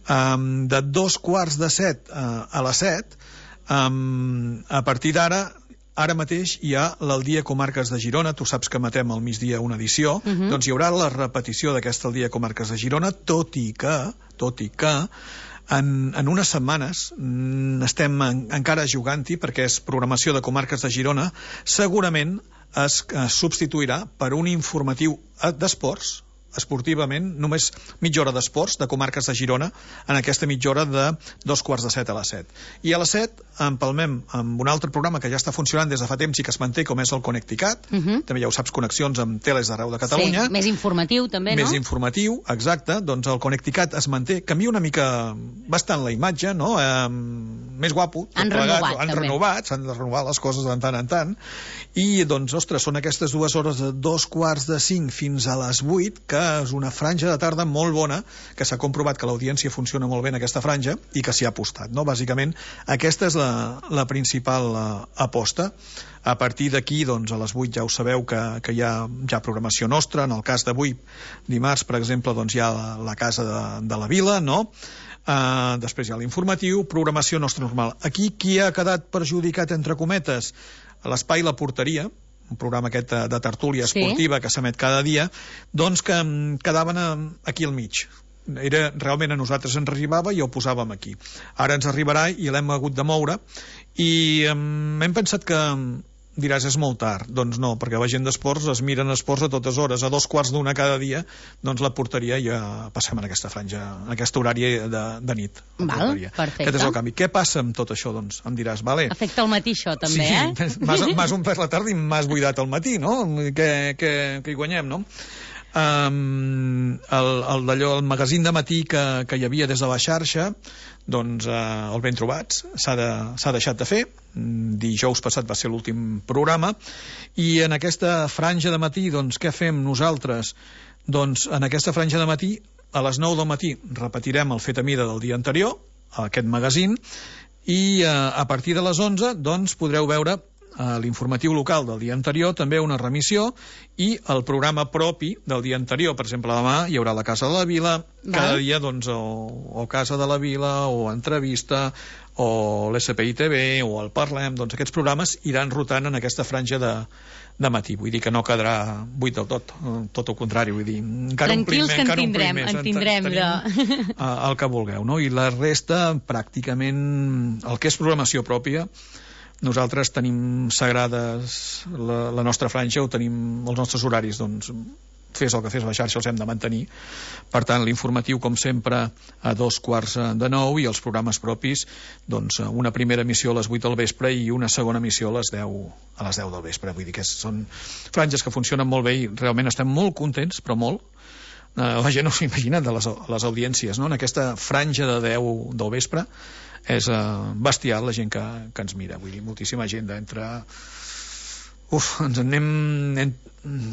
Um, de dos quarts de set uh, a les set, um, a partir d'ara, ara mateix hi ha l'Al dia Comarques de Girona, tu saps que matem al migdia una edició, uh-huh. doncs hi haurà la repetició d'aquesta Al dia Comarques de Girona, tot i que, tot i que, en, en unes setmanes mm, estem en, encara jugant-hi, perquè és programació de Comarques de Girona, segurament es, es substituirà per un informatiu d'esports, esportivament, només mitja hora d'esports de Comarques de Girona, en aquesta mitja hora de dos quarts de set a les set. I a les set empalmem amb un altre programa que ja està funcionant des de fa temps i que es manté, com és el Connecticat, uh-huh. també ja ho saps, connexions amb teles d'arreu de Catalunya. Sí, més informatiu també, no? Més informatiu, exacte, doncs el Connecticat es manté, canvia una mica bastant la imatge, no? Eh, més guapo. Han plegat, renovat, han també. renovat, s'han de renovar les coses de tant en tant, i doncs, ostres, són aquestes dues hores de dos quarts de cinc fins a les vuit, que és una franja de tarda molt bona, que s'ha comprovat que l'audiència funciona molt bé en aquesta franja i que s'hi ha apostat, no? Bàsicament, aquesta és la, la principal uh, aposta. A partir d'aquí, doncs, a les vuit ja ho sabeu que, que hi ha ja programació nostra. En el cas d'avui, dimarts, per exemple, doncs hi ha la, la Casa de, de la Vila, no? Uh, després hi ha l'informatiu, programació nostra normal. Aquí, qui ha quedat perjudicat, entre cometes? L'Espai La Porteria, un programa aquest de, de tertúlia esportiva, sí, que s'emet cada dia, doncs que quedaven aquí al mig. Era, realment a nosaltres ens arribava i ho posàvem aquí. Ara ens arribarà i l'hem hagut de moure i um, hem pensat que diràs, és molt tard. Doncs no, perquè la gent d'esports es miren esports a totes hores. A dos quarts d'una cada dia, doncs la porteria ja passem en aquesta franja, en aquest horari de, de nit. Val, perfecte. Aquest és el canvi. Què passa amb tot això, doncs? Em diràs, vale. Afecta el matí, això, també, sí, eh? Sí, m'has omplert la tarda i m'has buidat el matí, no? Que, que, que hi guanyem, no? Um, el, el, d'allò, el magazín de matí que, que hi havia des de la xarxa, doncs uh, el ben trobats, s'ha de, s'ha deixat de fer. Dijous passat va ser l'últim programa i en aquesta franja de matí, doncs què fem nosaltres? Doncs en aquesta franja de matí, a les nou del matí repetirem el fet a mida del dia anterior, aquest magazín, i uh, a partir de les onze doncs podreu veure a l'informatiu local del dia anterior, també una remissió, i el programa propi del dia anterior. Per exemple, demà hi haurà la Casa de la Vila, val, cada dia, doncs, o, o Casa de la Vila, o Entrevista, o l'S P I T V, o el Parlem, doncs aquests programes iran rotant en aquesta franja de, de matí. Vull dir que no quedarà buit del tot, tot el contrari, vull dir, encara tranquils, omplim, que encara en tindrem, omplim més, en tindrem tenim, de... el que vulgueu, no? I la resta, pràcticament, el que és programació pròpia, nosaltres tenim sagrades la, la nostra franja, o tenim els nostres horaris, doncs fes el que fes la xarxa els hem de mantenir. Per tant, l'informatiu, com sempre, a dos quarts de nou, i els programes propis, doncs una primera emissió a les vuit del vespre i una segona emissió a les deu, a les deu del vespre. Vull dir que són franges que funcionen molt bé i realment estem molt contents, però molt. La gent no s'ho imagina de les, les audiències, no? En aquesta franja de deu del vespre és uh, bestial la gent que, que ens mira. Vull dir, moltíssima gent d'entre... Uf, ens en anem... En...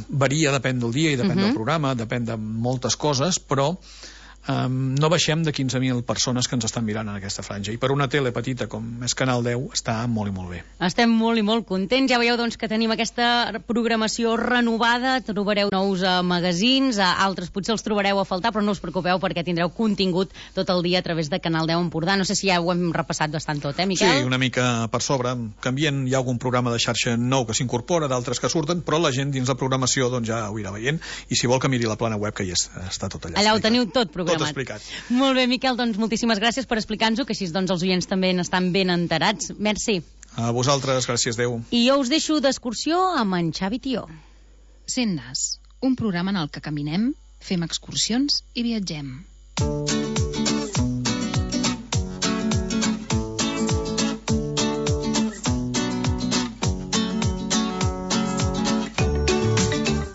varia, depèn del dia i depèn uh-huh. del programa, depèn de moltes coses, però um, no baixem de quinze mil persones que ens estan mirant en aquesta franja. I per una tele petita com és Canal deu està molt i molt bé. Estem molt i molt contents. Ja veieu doncs, que tenim aquesta programació renovada. Trobareu nous uh, magazins, uh, altres potser els trobareu a faltar, però no us preocupeu perquè tindreu contingut tot el dia a través de Canal deu Empordà. No sé si ja ho hem repassat bastant tot, eh, Miquel? Sí, una mica per sobre. Canvien, hi ha algun programa de xarxa nou que s'incorpora, d'altres que surten, però la gent dins la programació doncs, ja ho irà veient, i si vol que miri la plana web, que hi és, està tot allà. Allà ho teniu tot programat. Tot explicat. Molt bé, Miquel, doncs moltíssimes gràcies per explicar-nos-ho, que així doncs els oients també n'estan ben enterats. Merci. A vosaltres, gràcies, Déu. I jo us deixo d'excursió amb en Xavi Tió. Sent Nas, un programa en el que caminem, fem excursions i viatgem.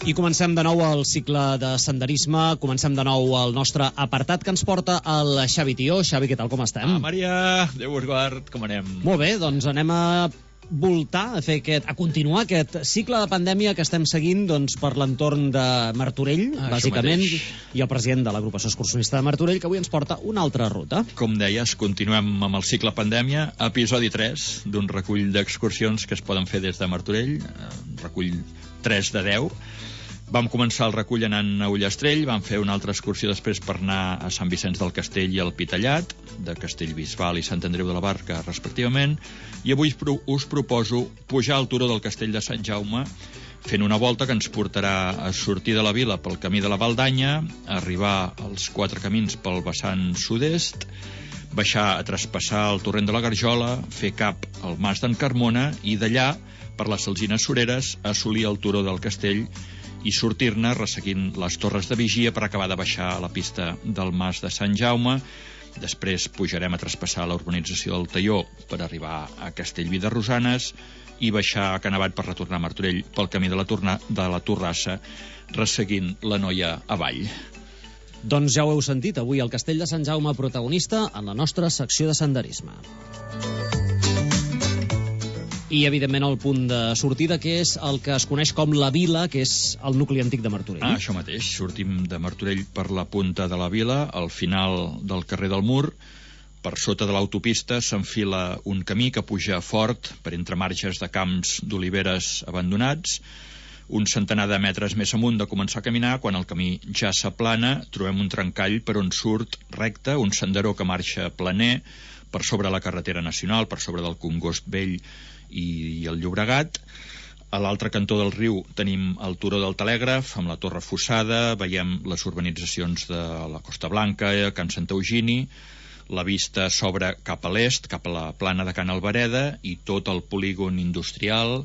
I comencem de nou el cicle de senderisme, comencem de nou el nostre apartat que ens porta el Xavi Tió. Xavi, què tal, com estem? Ah, Maria, Déu us guard, com anem? Molt bé, doncs anem a voltar, a, fer aquest, a continuar aquest cicle de pandèmia que estem seguint doncs, per l'entorn de Martorell, ah, bàsicament, i el president de l'agrupació excursionista de Martorell, que avui ens porta una altra ruta. Com deies, continuem amb el cicle pandèmia, episodi tres d'un recull d'excursions que es poden fer des de Martorell, recull tres de deu. Vam començar el recull anant a Ullastrell, vam fer una altra excursió després per anar a Sant Vicenç del Castell i al Pitallat, de Castellbisbal i Sant Andreu de la Barca, respectivament, i avui us proposo pujar al turó del Castell de Sant Jaume, fent una volta que ens portarà a sortir de la vila pel camí de la Valdanya, a arribar als quatre camins pel vessant sud-est, baixar a traspassar el torrent de la Garjola, fer cap al Mas d'en Carmona i d'allà, per les Alzines Soreres, assolir el turó del Castell i sortir-ne resseguint les torres de vigia per acabar de baixar a la pista del Mas de Sant Jaume. Després pujarem a traspassar la urbanització del Talló per arribar a Castellví de Rosanes i baixar a Canavat per retornar a Martorell pel camí de la, torna, de la Torrassa, resseguint la Noia avall. Doncs ja ho heu sentit, avui el Castell de Sant Jaume protagonista en la nostra secció de senderisme. I, evidentment, el punt de sortida, que és el que es coneix com la Vila, que és el nucli antic de Martorell. Ah, això mateix. Sortim de Martorell per la punta de la Vila, al final del carrer del Mur. Per sota de l'autopista s'enfila un camí que puja fort per entre marges de camps d'oliveres abandonats. Un centenar de metres més amunt de començar a caminar, quan el camí ja s'aplana, trobem un trencall per on surt recte, un senderó que marxa planer, per sobre la carretera nacional, per sobre del Congost Vell i el Llobregat. A l'altre cantó del riu tenim el turó del Telègraf amb la Torre Fossada, veiem les urbanitzacions de la Costa Blanca, Can Santa Eugini, la vista s'obre cap a l'est, cap a la plana de Can Albareda i tot el polígon industrial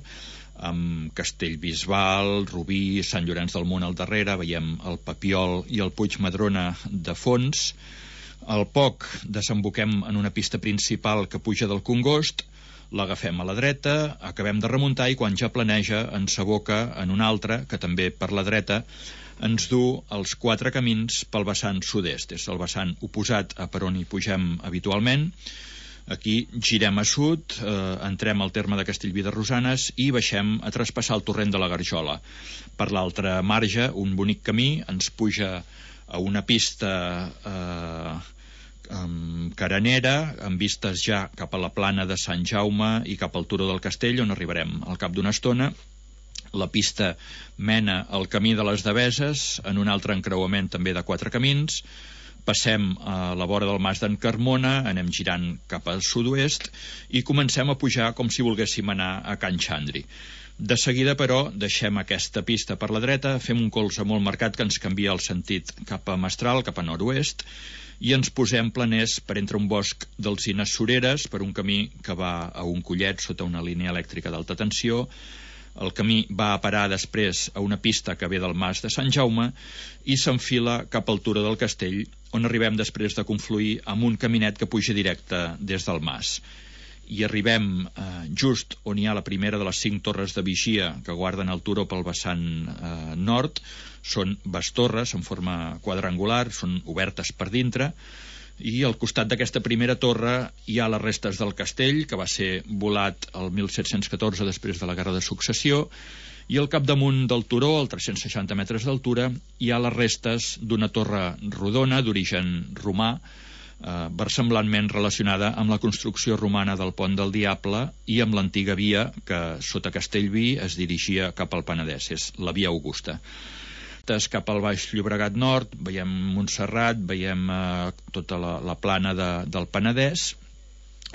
amb Castellbisbal, Rubí, Sant Llorenç del Munt al darrere, veiem el Papiol i el Puig Madrona de fons. Al poc desemboquem en una pista principal que puja del Congost, l'agafem a la dreta, acabem de remuntar i quan ja planeja ens aboca en una altra, que també per la dreta ens du els quatre camins pel vessant sud-est. És el vessant oposat a per on hi pugem habitualment. Aquí girem a sud, eh, entrem al terme de Castellví de Rosanes i baixem a traspassar el torrent de la Garjola. Per l'altre marge, un bonic camí ens puja a una pista eh, amb carenera, amb vistes ja cap a la plana de Sant Jaume i cap al turó del Castell, on arribarem al cap d'una estona. La pista mena al camí de les Deveses, en un altre encreuament també de quatre camins. Passem a la vora del Mas d'en Carmona, anem girant cap al sud-oest i comencem a pujar com si volguéssim anar a Can Xandri. De seguida, però, deixem aquesta pista per la dreta, fem un colze molt marcat que ens canvia el sentit cap a Mestral, cap a nord-oest, i ens posem planers per entre un bosc d'alzines soreres, per un camí que va a un collet sota una línia elèctrica d'alta tensió. El camí va a parar després a una pista que ve del Mas de Sant Jaume i s'enfila cap al turó del Castell, on arribem després de confluir amb un caminet que puja directe des del Mas. I arribem eh, just on hi ha la primera de les cinc torres de vigia que guarden el turó pel vessant eh, nord. Són bastorres en forma quadrangular, són obertes per dintre, i al costat d'aquesta primera torre hi ha les restes del castell, que va ser volat el mil set-cents catorze després de la Guerra de Successió, i al capdamunt del turó, a tres-cents seixanta metres d'altura, hi ha les restes d'una torre rodona d'origen romà, eh, versemblantment relacionada amb la construcció romana del Pont del Diable i amb l'antiga via que sota Castellví es dirigia cap al Penedès, és la via Augusta. Cap al Baix Llobregat Nord, veiem Montserrat, veiem eh, tota la, la plana de, del Penedès,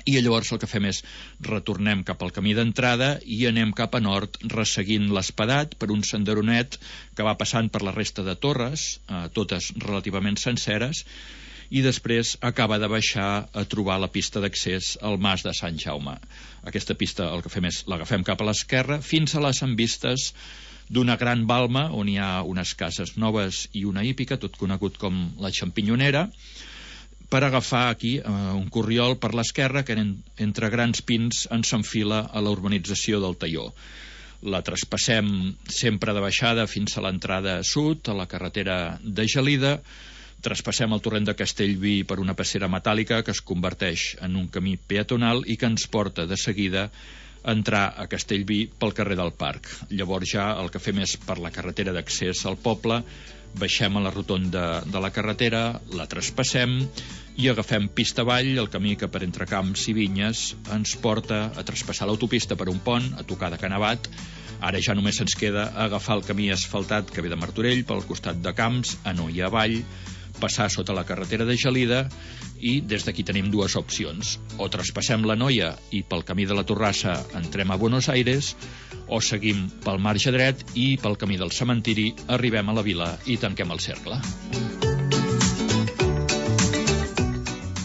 i llavors el que fem és retornem cap al camí d'entrada i anem cap a nord resseguint l'Espadat per un senderonet que va passant per la resta de torres, eh, totes relativament senceres, i després acaba de baixar a trobar la pista d'accés al Mas de Sant Jaume. Aquesta pista el que fem és l'agafem cap a l'esquerra fins a les envistes d'una gran balma on hi ha unes cases noves i una hípica, tot conegut com la Xampinyonera, per agafar aquí eh, un corriol per l'esquerra que en, entre grans pins ens s'enfila a la urbanització del Talló. La traspassem sempre de baixada fins a l'entrada sud, a la carretera de Gelida, traspassem el torrent de Castellví per una passera metàl·lica que es converteix en un camí peatonal i que ens porta de seguida entrar a Castellví pel carrer del Parc. Llavors ja el que fem és per la carretera d'accés al poble, baixem a la rotonda de la carretera, la traspassem i agafem pista avall, el camí que per entre camps i vinyes ens porta a traspassar l'autopista per un pont, a tocar de Canavat. Ara ja només ens queda agafar el camí asfaltat que ve de Martorell pel costat de Camps, a Noia avall, passar sota la carretera de Gelida i des d'aquí tenim dues opcions. O traspassem la Noia i pel camí de la Torrassa entrem a Buenos Aires, o seguim pel marge dret i pel camí del cementiri arribem a la vila i tanquem el cercle.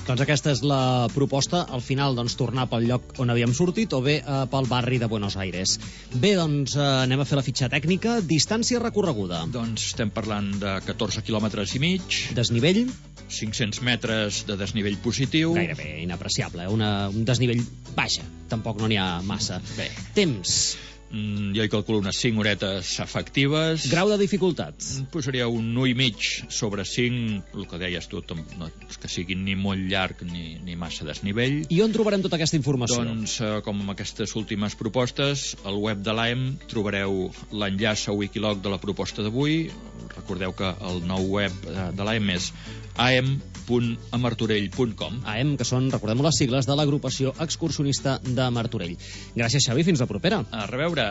Doncs aquesta és la proposta, al final doncs, tornar pel lloc on havíem sortit o bé eh, pel barri de Buenos Aires. Bé, doncs eh, anem a fer la fitxa tècnica. Distància recorreguda. Doncs estem parlant de catorze quilòmetres i mig. Desnivell? cinc-cents metres de desnivell positiu. Gairebé inapreciable, eh? Una, un desnivell baixa, tampoc no n'hi ha massa. Bé. Temps? Mm, jo hi calculo unes cinc horetes efectives. Grau de dificultat? Posaria un u i mig sobre cinc, el que deies tu, no és que sigui ni molt llarg ni, ni massa desnivell. I on trobarem tota aquesta informació? Doncs, eh, com amb aquestes últimes propostes, al web de l'A E M trobareu l'enllaç a Wikiloc de la proposta d'avui. Recordeu que el nou web de l'A E M és a e m punt a martorell punt com. A E M, que són, recordem les sigles de l'agrupació excursionista de Martorell. Gràcies, Xavi, fins la propera. A reveure.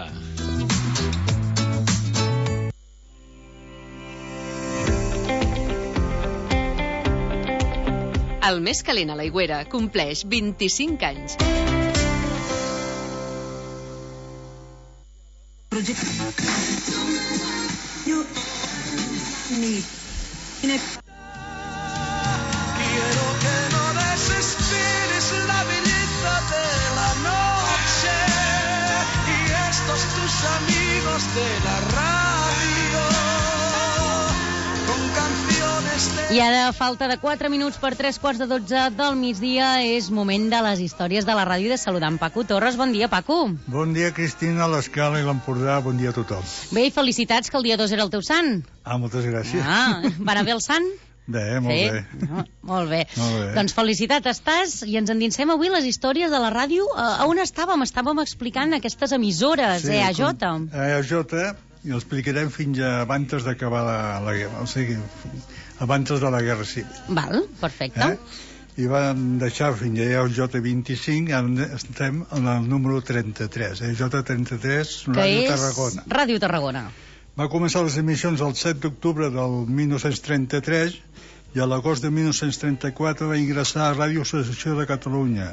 El més calent a l'Aigüera compleix vint-i-cinc anys. Quiero que no desesperes la belleza de la noche y estos tus amigos de la radio con canciones de... I ara, a falta de quatre minuts per tres quarts de dotze del migdia, és moment de les històries de la ràdio de saludar en Paco Torres. Bon dia, Paco. Bon dia, Cristina, l'Escala i l'Empordà. Bon dia a tothom. Bé, i felicitats, que el dia dos era el teu sant. Ah, moltes gràcies. Ah, va anar bé el sant? Bé, molt sí? bé. No, molt bé. Molt bé. Doncs felicitat estàs, i ens endinsem avui les històries de la ràdio. A on estàvem? Estàvem explicant aquestes emissores, sí, E A J. E A J, i l'explicarem fins abans d'acabar la, la guerra, o sigui, abans de la guerra civil. Val, perfecte. Eh? I vam deixar fins a E A J vint-i-cinc, ara estem en el número trenta-tres. E A J trenta-tres, Ràdio Tarragona. Ràdio Tarragona. Va començar les emissions el set d'octubre del mil nou-cents trenta-tres i a l'agost de mil nou-cents trenta-quatre va ingressar a Ràdio Associació de Catalunya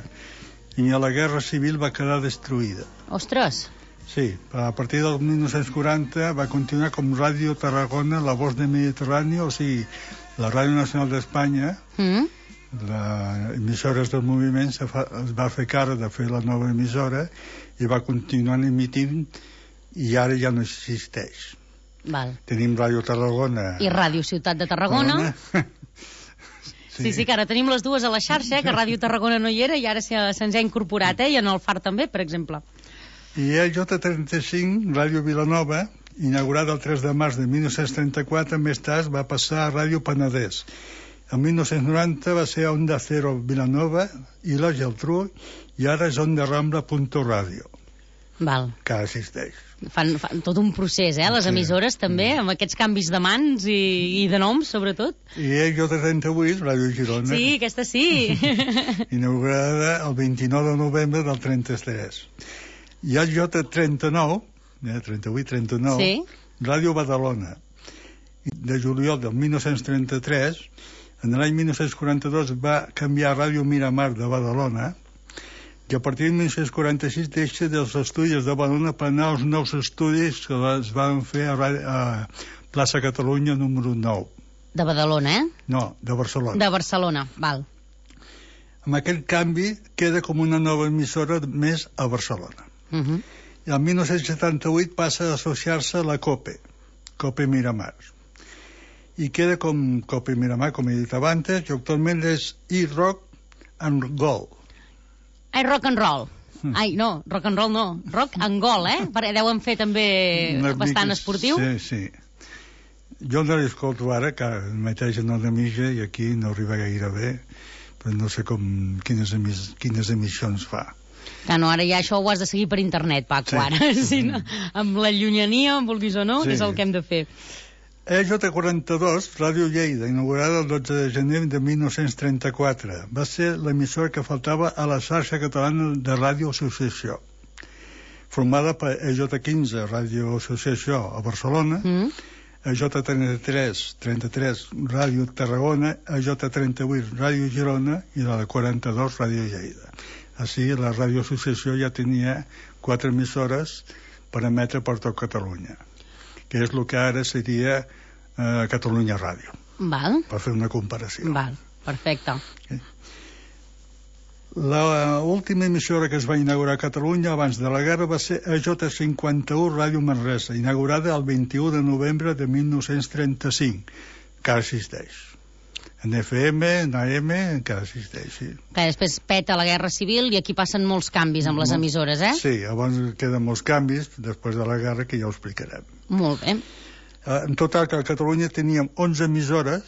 i a la Guerra Civil va quedar destruïda. Ostres! Sí, a partir del mil nou-cents quaranta va continuar com Ràdio Tarragona, la voz de Mediterrani, o sigui, la Ràdio Nacional d'Espanya, mm. les emissores del moviment se fa, es va fer cara de fer la nova emissora i va continuar emitint i ara ja no existeix. Val. Tenim Ràdio Tarragona i Ràdio Ciutat de Tarragona. Sí. sí, sí, que ara tenim les dues a la xarxa, eh, que Ràdio Tarragona no hi era i ara se'ns ha incorporat, eh, i en el Far també, per exemple. I E A J trenta-cinc, Ràdio Vilanova, inaugurada el tres de març de mil nou-cents trenta-quatre, més tard va passar a Ràdio Penedès. En mil nou-cents noranta va ser Onda Cero Vilanova i la Geltrú, i ara és Onda Rambla Punto Ràdio. Val. Que existeix. Fan, fan tot un procés, eh, les emissores sí. també, amb aquests canvis de mans i, i de noms, sobretot. I E A J trenta-vuit, Ràdio Girona. Sí, aquesta sí. Inaugurada el vint-i-nou de novembre del trenta-tres. I E A J trenta-nou, eh, trenta-vuit trenta-nou, sí. Ràdio Badalona. De juliol del mil nou-cents trenta-tres, en l'any mil nou-cents quaranta-dos va canviar a Ràdio Miramar de Badalona, i a partir de mil nou-cents quaranta-sis deixa dels estudis de Badalona per anar als nous estudis que es van fer a, a Plaça Catalunya número nou. De Badalona, eh? No, de Barcelona. De Barcelona, val. Amb aquest canvi queda com una nova emissora més a Barcelona. Uh -huh. I el mil nou-cents setanta-vuit passa a associar-se a la COPE, COPE Miramar. I queda com COPE Miramar, com he dit abans, i actualment és iRock and Roll. Ai, rock and roll. Mm. Ai, no, rock and roll no. Rock and goal, eh? Perquè deuen fer també Una bastant mica, esportiu. Sí, sí. Jo no l'escolto ara, que mateix no de mitja i aquí no arriba gaire bé, però no sé com, quines, emis, quines emissions fa. Que no, ara ja això ho has de seguir per internet, Paco, sí. Ara. Sí, no? Amb la llunyania, vulguis o no, sí. És el que hem de fer. E J quaranta-dos, Ràdio Lleida, inaugurada el dotze de gener de mil nou-cents trenta-quatre. Va ser l'emissora que faltava a la xarxa catalana de Ràdio Associació, formada per E J quinze, Ràdio Associació a Barcelona, mm. E J trenta-tres, trenta-tres, Ràdio Tarragona, E J trenta-vuit, Ràdio Girona i la de quaranta-dos, Ràdio Lleida. Així, la Ràdio Associació ja tenia quatre emissores per emetre per tot Catalunya, que és el que ara seria eh, Catalunya Ràdio. Val. Per fer una comparació. Val, perfecte. Okay. L'última emissora que es va inaugurar a Catalunya abans de la guerra va ser E J cinquanta-u Ràdio Manresa, inaugurada el vint-i-u de novembre de mil nou-cents trenta-cinc, que existeix. En F M, en A M, encara existeix, sí. Que després peta la Guerra Civil i aquí passen molts canvis amb les emissores, eh? Sí, llavors queden molts canvis després de la guerra, que ja ho explicarem. Molt bé. En total, que a Catalunya teníem onze emissores,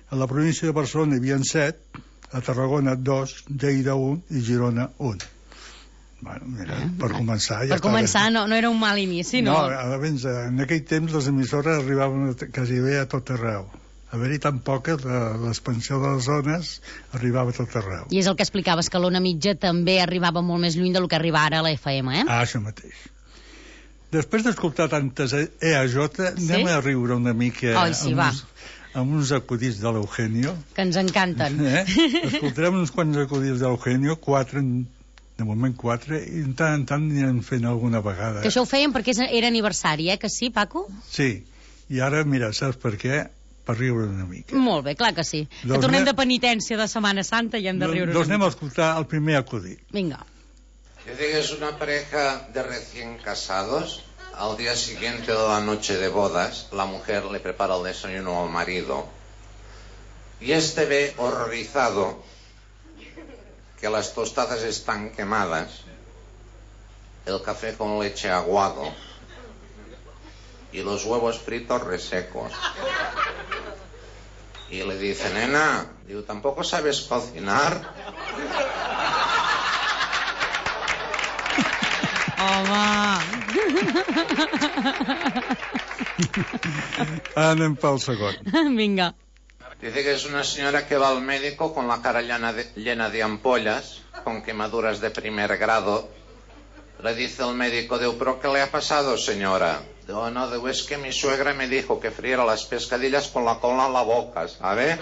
a la província de Barcelona hi havia set, a Tarragona dos, Lleida un i Girona un. Bueno, mira, eh, per començar... Ja per començar no, no era un mal inici, no? No, abans, en aquell temps les emissores arribaven quasi bé a tot arreu. Haver-hi tan poques, l'expansió de les zones arribava a tot arreu. I és el que explicaves, que l'ona mitja també arribava molt més lluny del que arriba ara a la F M, eh? Ah, això mateix. Després d'escoltar tantes E A J, sí? Anem a riure una mica... Oi, sí, amb va. Uns, amb uns acudits de l'Eugenio. Que ens encanten. Eh? Escoltarem uns quants acudits de l'Eugenio, quatre, de moment quatre, i en tant en tant anirem fent alguna vegada. Que això ho feien perquè era aniversari, eh? Que sí, Paco? Sí, i ara, mira, saps per què? Per riure una mica. Molt bé, clar que sí. Que doncs tornem de penitència de Setmana Santa i hem de riure. Doncs anem a escoltar el primer acudit. Venga. Dice que es una pareja de recién casados. Al día siguiente de la noche de bodas, la mujer le prepara el desayuno al marido y este ve horrorizado que las tostadas están quemadas, el café con leche aguado y los huevos fritos resecos. Y le dice, nena, digo, ¿tampoco sabes cocinar? Home! Anem pel segon. Vinga. Dice que es una señora que va al médico con la cara llena de, llena de ampollas, con quemaduras de primer grado. Le dice el médico, digo, ¿pero qué le ha pasado, señora? Digo, no, digo, es que mi suegra me dijo que friera las pescadillas con la cola en la boca, ¿sabe?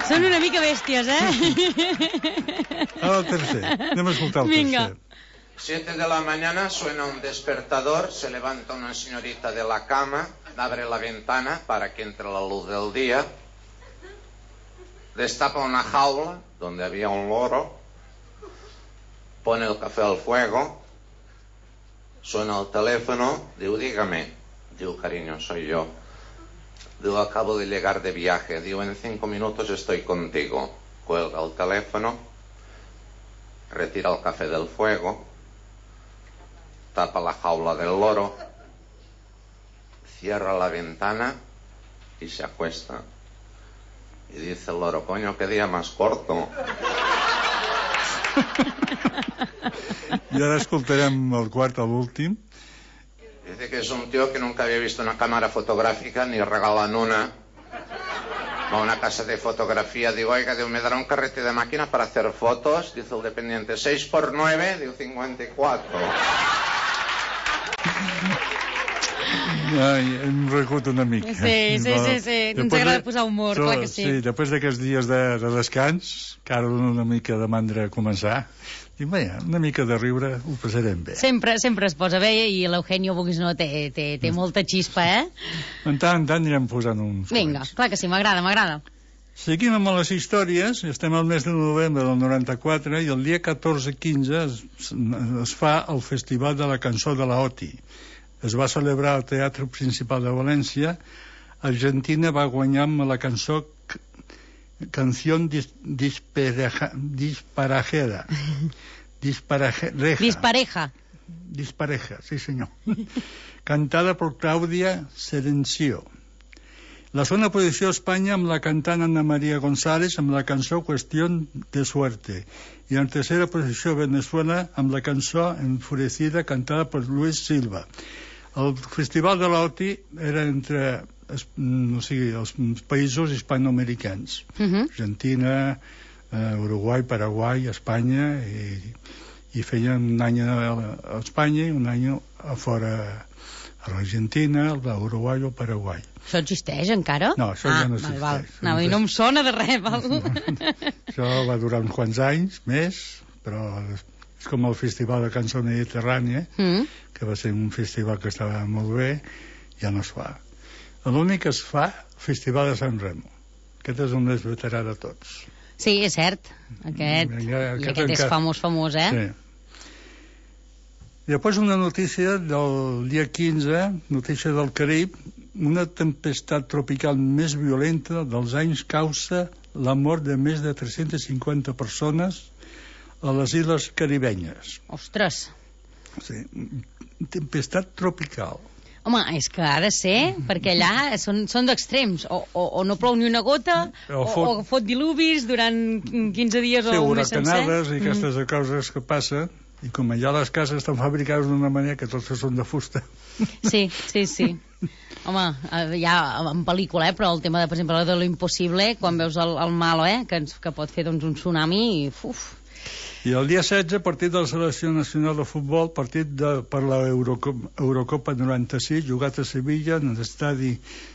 Són una mica bèsties, eh? Ara el tercer. Anem a escoltar el Vinga. tercer. Siete de la mañana suena un despertador, se levanta una señorita de la cama, abre la ventana para que entre la luz del día, destapa una jaula donde había un loro, pone el café al fuego, suena el teléfono, digo, dígame, digo, cariño, soy yo. Digo, acabo de llegar de viaje, digo, en cinco minutos estoy contigo. Cuelga el teléfono, retira el café del fuego, tapa la jaula del loro, cierra la ventana y se acuesta. Y dice el loro, coño, qué día más corto. I ara escoltarem el quart, l'últim. Dice que es un tío que nunca había visto una cámara fotográfica, ni regalan una. Va a una casa de fotografía, digo, oiga, digo, ¿me dará un carrete de máquina para hacer fotos? Dice el dependiente, seis por nueve, digo, cincuenta y cuatro. Ai, hem recut una mica. Sí, sí, sí, sí. Ens agrada posar humor, clar que sí. Sí, després d'aquests dies de, de descans, que ara dona una mica de mandra a començar, i bé, una mica de riure ho passarem bé. Sempre, sempre es posa bé i l'Eugenio, vulguis no, té, té, té molta xispa, eh? En tant en tant anirem posant uns Vinga, quants. Clar que sí, m'agrada, m'agrada. Seguim amb les històries, estem al mes de novembre del noranta-quatre i el dia catorze quinze es, es fa el Festival de la Cançó de la O T I. Es va celebrar al Teatre Principal de València. Argentina va guanyar amb la cançó Canción dis, dispareja, Disparajera. Dispareja. Dispareja. Dispareja, sí senyor. Cantada por Claudia Serencio. La segona posició Espanya amb la cantant Ana María González amb la cançó Cuestión de Suerte. I en tercera posició Venezuela amb la cançó Enfurecida cantada per Luis Silva. El Festival de l'Oti era entre o sigui, els països hispanoamericans. Uh-huh. Argentina, eh, Uruguai, Paraguai, Espanya, i, i feien un any a Espanya i un any a fora, a l'Argentina, l'Uruguai o el Paraguai. Això existeix encara? No, això ah, ja no val, existeix. Val. No, no em sona de res, val? Això va durar uns quants anys més, però és com el Festival de Cançó Mediterrània, mm. que va ser un festival que estava molt bé, ja no es fa. L'únic que es fa, Festival de Sant Remo. Aquest és un més veterà de tots. Sí, és cert. Aquest, ja, aquest, i aquest és famós, famós, eh? Sí. Després una notícia del dia quinze, notícia del Carib, una tempestat tropical més violenta dels anys causa la mort de més de tres-centes cinquanta persones a les illes caribenyes. Ostres! Sí, tempestat tropical. Home, és que ha de ser, perquè allà són, són d'extrems, o, o, o no plou ni una gota, o fot, o, o fot dilubis durant quinze dies sí, o un mes sencer. Sí, huracanades i aquestes mm. coses que passen, i com allà les cases estan fabricades d'una manera que totes són de fusta. Sí, sí, sí. Home, ja en pel·lícula, eh, però el tema, de, per exemple, de lo impossible, quan veus el, el malo, eh, que, que pot fer doncs, un tsunami, i uf... I el dia setze, partit de la Selecció Nacional de Futbol, partit de, per la Eurocopa, Eurocopa noranta-sis, jugat a Sevilla, en l'estadi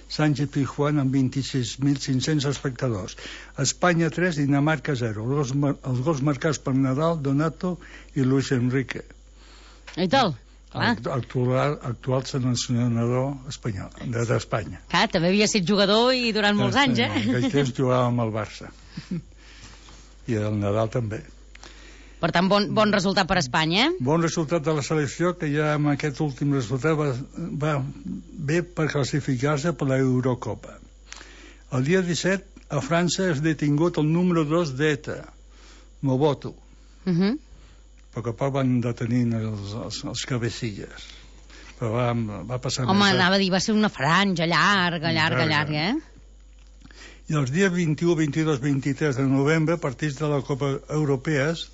Sánchez Pizjuán, amb vint-i-sis mil cinc-cents espectadors. Espanya tres, Dinamarca zero. Els, els gols marcats per Nadal, Donato i Luis Enrique. I tal? Clar. Actual, actual seleccionador espanyol, d'Espanya. Clar, també havia estat jugador i durant molts anys, eh? En aquell temps jugava amb el Barça. I el Nadal també. Per tant, bon, bon resultat per Espanya, eh? Bon resultat de la selecció, que ja amb aquest últim resultat va, va bé per classificar-se per l'Eurocopa. El dia disset, a França és detingut el número dos d'ETA, Mobutu. Uh -huh. A poc a poc van detenint els, els, els cabecilles. Però va, va passar... Home, més, anava a dir, va ser una franja llarga, llarga, llarga, eh? I els dies vint-i-u, vint-i-dos, vint-i-tres de novembre, partits de la Copa Europees,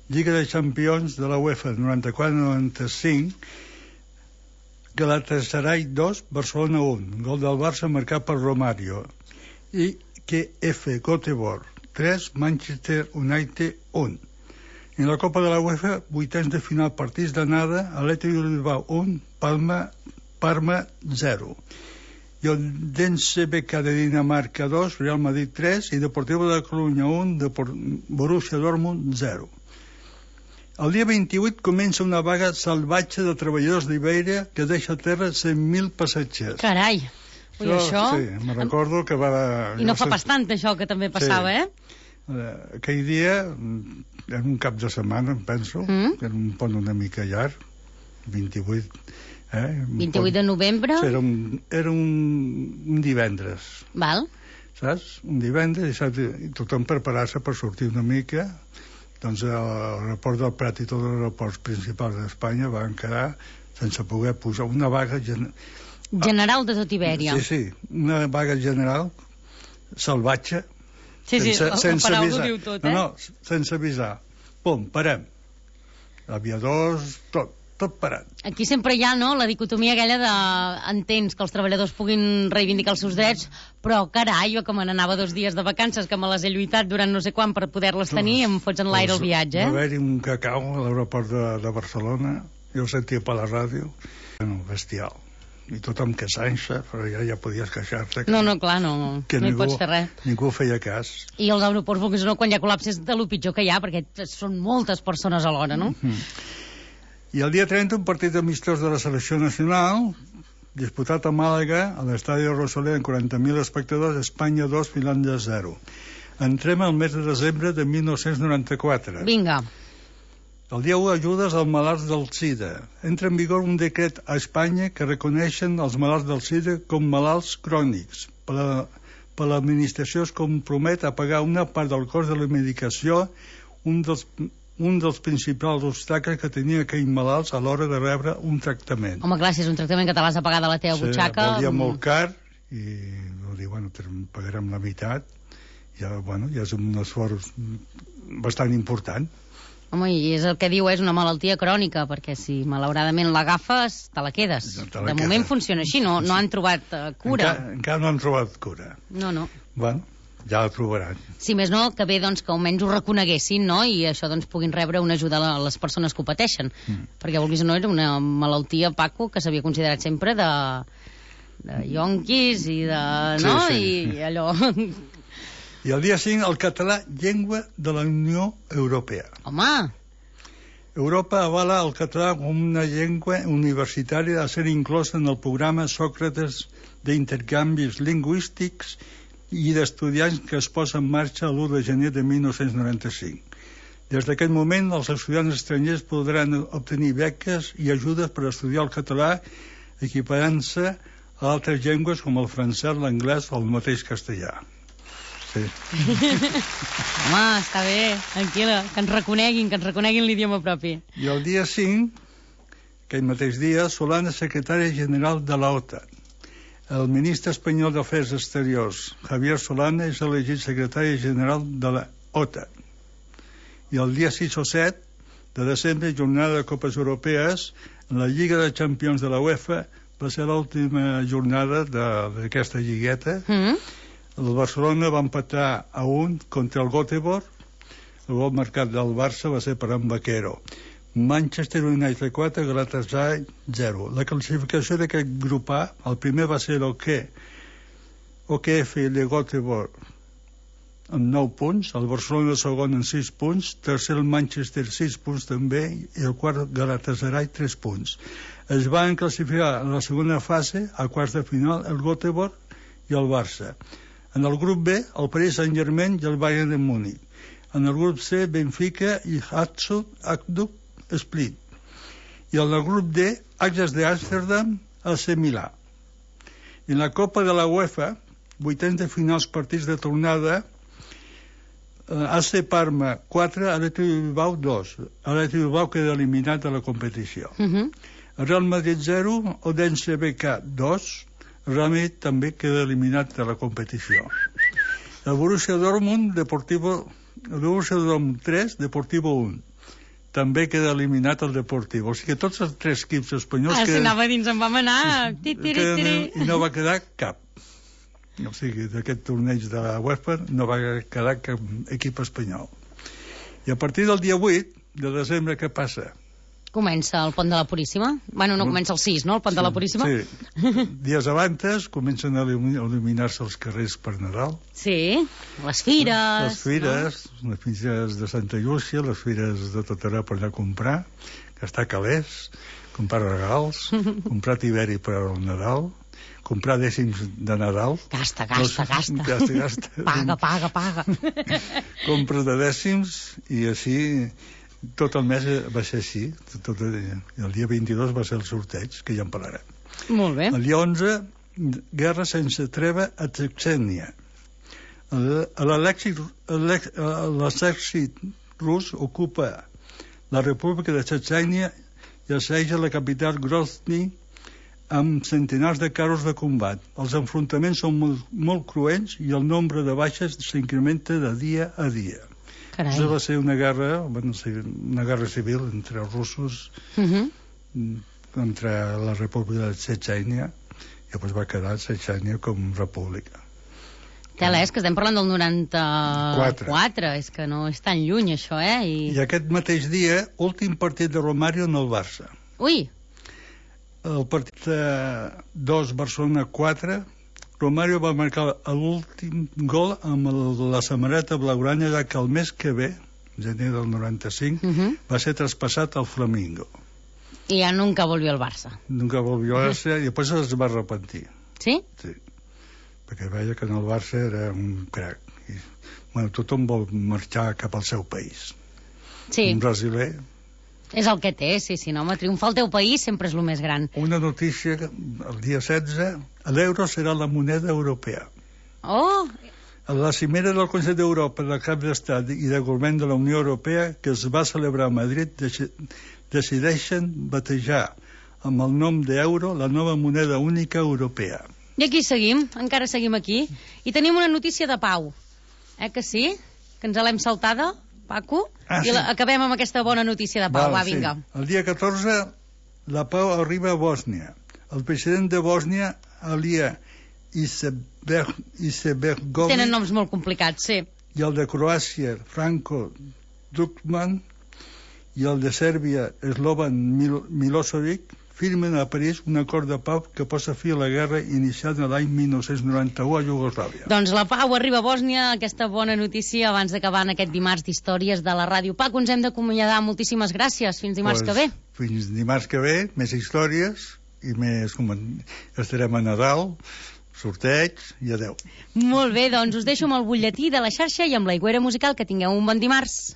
Lliga de Campions de la UEFA noranta-quatre noranta-cinc, Galatasaray dos, Barcelona un, gol del Barça marcat per Romario, i K F Göteborg tres, Manchester United un. En la Copa de la UEFA, vuitens de final, partits d'anada, Athletic Bilbao un, Palma, Parma zero. I el Dense B K de Dinamarca dos, Real Madrid tres, i Deportivo de Coruña un, Borussia Dortmund zero. El dia vint-i-vuit comença una vaga salvatge de treballadors d'Iberia que deixa a terra cent mil passatgers. Carai! Ui, això... Sí, me recordo que va... I no fa pas tant, això, que també passava, sí. eh? Aquell dia, en un cap de setmana, em penso, mm? que era un pont una mica llarg, vint-i-vuit... Eh? vint-i-vuit de novembre? Sí, era un, era un, un divendres. Val. Saps? Un divendres, i, saps? I tothom preparar-se per sortir una mica... Doncs l'aeroport del Prat i tots els aeroports principals d'Espanya van quedar sense poder posar una vaga... Gen... General de tot Ibèria. Sí, sí, una vaga general salvatge. Sí, sí, sense, el, sense el paraulo avisar. diu tot, eh? No, no, sense avisar. Pum, parem. Aviadors, tot. Tot parat. Aquí sempre hi ha, no?, la dicotomia aquella de entens que els treballadors puguin reivindicar els seus drets, però carai, jo que me n'anava dos dies de vacances, que me les he lluitat durant no sé quan per poder-les tenir, em fots en l'aire el viatge, eh? Va haver-hi un cacau a l'aeroport de, de Barcelona, jo ho sentia per la ràdio, bueno, bestial. I tothom queixant-se, però ja, ja podies queixar-te. No, no, clar, no, que no ningú, hi pots fer res. Ningú feia cas. I els aeroports, vulguis o no, quan hi ha col·lapses, de lo pitjor que hi ha, perquè són moltes persones alhora, no? Mm-hmm. I el dia trenta, un partit amistós de la selecció nacional, disputat a Màlaga, a l'estadi Rosalén, amb quaranta mil espectadors, Espanya dos, Finlàndia zero. Entrem al mes de desembre de mil nou-cents noranta-quatre. Vinga. El dia u, ajudes als malalts del SIDA. Entra en vigor un decret a Espanya que reconeixen els malalts del SIDA com malalts crònics. Per la, per l'administració es compromet a pagar una part del cost de la medicació, un dels... un dels principals obstacles que tenia aquells malalts a l'hora de rebre un tractament. Home, clar, si és un tractament que te l'has de pagar de la teva sí, butxaca... volia molt car i va dir, bueno, pagarem la meitat, ja, bueno, ja és un esforç bastant important. Home, i és el que diu, és una malaltia crònica, perquè si malauradament l'agafes, te la quedes. Te la de quedes. moment funciona així, no, no han trobat uh, cura. Encara, encara no han trobat cura. No, no. Bueno, ja la trobaran. Si més no, que bé doncs, que almenys ho reconeguessin, no?, i això doncs, puguin rebre una ajuda a les persones que ho pateixen. Mm. Perquè, vulguis o no, era una malaltia, Paco, que s'havia considerat sempre de, de yonquis i de... no? Sí, sí. I, i allò... I el dia cinc, el català, llengua de la Unió Europea. Home! Europa avala el català com una llengua universitària a ser inclosa en el programa Sòcrates d'intercanvis lingüístics i d'estudiants que es posa en marxa l'u de gener de mil nou-cents noranta-cinc. Des d'aquest moment, els estudiants estrangers podran obtenir beques i ajudes per estudiar el català, equiparant-se a altres llengües com el francès, l'anglès o el mateix castellà. Sí. Home, està bé, tranquil·la, que ens reconeguin, que ens reconeguin l'idioma propi. I el dia cinc, aquell mateix dia, Solana, secretària general de l'OTAN. El ministre espanyol d'Afers Exteriors, Javier Solana, és elegit secretari general de l'OTAN. I el dia sis o set de desembre, jornada de Copes Europees, en la Lliga de Campions de la UEFA, va ser l'última jornada d'aquesta lligueta. Mm. El Barcelona va empatar a un contra el Göteborg. El gol marcat del Barça va ser per en Vaquero. Manchester United quatre, Galatasaray zero. La classificació d'aquest grup A, el primer va ser el que O K F de Göteborg amb nou punts, el Barcelona segon amb sis punts, tercer el Manchester sis punts també, i el quart Galatasaray tres punts. Es van classificar en la segona fase, a quarts de final, el Göteborg i el Barça. En el grup B, el Paris Saint-Germain i el Bayern de Múnich. En el grup C, Benfica i Hajduk Split. I en el grup D, Ajax d'Amsterdam, A C Milà. I en la Copa de la UEFA, vuitens de finals partits de tornada, A C Parma quatre, Athletic Bilbao dos. Athletic Bilbao queda eliminat de la competició. Uh-huh. Real Madrid zero, Odense B K dos, Real Madrid també queda eliminat de la competició. El Borussia Dortmund, Deportivo, el Borussia Dortmund tres, Deportivo un. També queda eliminat el Deportivo. O sigui que tots els tres equips espanyols... Ah, si anava dins, en vam anar... I no va quedar cap. O sigui, d'aquest torneig de la UEFA no va quedar cap equip espanyol. I a partir del dia vuit de desembre, què passa? Comença el Pont de la Puríssima? Bueno, no comença el sis, no, el Pont sí, de la Puríssima? Sí. Dies abans comencen a il·luminar-se els carrers per Nadal. Sí, les fires... Les fires, no? Les fires de Santa Llúcia, les fires de tot arreu per allà a comprar, gastar calés, comprar regals, comprar tiberi per al Nadal, comprar dècims de Nadal. Gasta, gasta, no, gasta. Gasta, gasta. Paga, paga, paga. Compres de dècims i així... Tot el mes va ser així. Tot el, el dia vint-i-dos va ser el sorteig, que ja en parlarem. Molt bé. El dia onze, guerra sense treva a Txetxènia. L'exèrcit rus ocupa la República de Txetxènia i asseja la capital Grozny amb centenars de carros de combat. Els enfrontaments són molt, molt cruents i el nombre de baixes s'incrementa de dia a dia. Carai. Això va ser una guerra, bueno, una guerra civil entre els russos, uh-huh. contra la República de Txetxènia, i després va quedar Txetxènia com república. Tela, és que estem parlant del noranta-quatre, és que no és tan lluny això, eh? I, I aquest mateix dia, últim partit de Romario en el Barça. Ui! El partit dos, Barcelona quatre, Romario va marcar l'últim gol amb la samarreta blaugrana, ja que el mes que ve, gener del noranta-cinc, uh-huh. va ser traspassat al Flamingo. I ja nunca volvió al Barça. Nunca volvió al Barça i després es va arrepentir. Sí? Sí. Perquè veia que en el Barça era un crac. I, bueno, tothom vol marxar cap al seu país. Sí. Un brasiler... És el que té, sí, sí, no, home, triomfar al teu país sempre és el més gran. Una notícia, el dia setze, l'euro serà la moneda europea. Oh! A la cimera del Consell d'Europa del Cap d'Estat i del Govern de la Unió Europea, que es va celebrar a Madrid, decideixen batejar amb el nom d'euro la nova moneda única europea. I aquí seguim, encara seguim aquí. I tenim una notícia de pau. Eh que sí? Que ens l'hem saltada, Paco? Ah, I sí. la, acabem amb aquesta bona notícia de pau. Val, Va, vinga. Sí. El dia catorze, la pau arriba a Bòsnia. El president de Bòsnia, Alija Izetbegovic, Tenen noms molt complicats, sí. i el de Croàcia, Franco Tuđman, i el de Sèrbia, Slobodan Mil Milosevic, firmen a París un acord de pau que posa fi a la guerra iniciada l'any mil nou-cents noranta-u a Iugoslàvia. Doncs la pau arriba a Bòsnia, aquesta bona notícia abans d'acabar en aquest dimarts d'històries de la ràdio. Paco, ens hem d'acomiadar. Moltíssimes gràcies. Fins dimarts pues, que ve. Fins dimarts que ve, més històries i més... Com estarem a Nadal, sorteig i adeu. Molt bé, doncs us deixo amb el butlletí de la xarxa i amb la Aigüera Musical. Que tingueu un bon dimarts.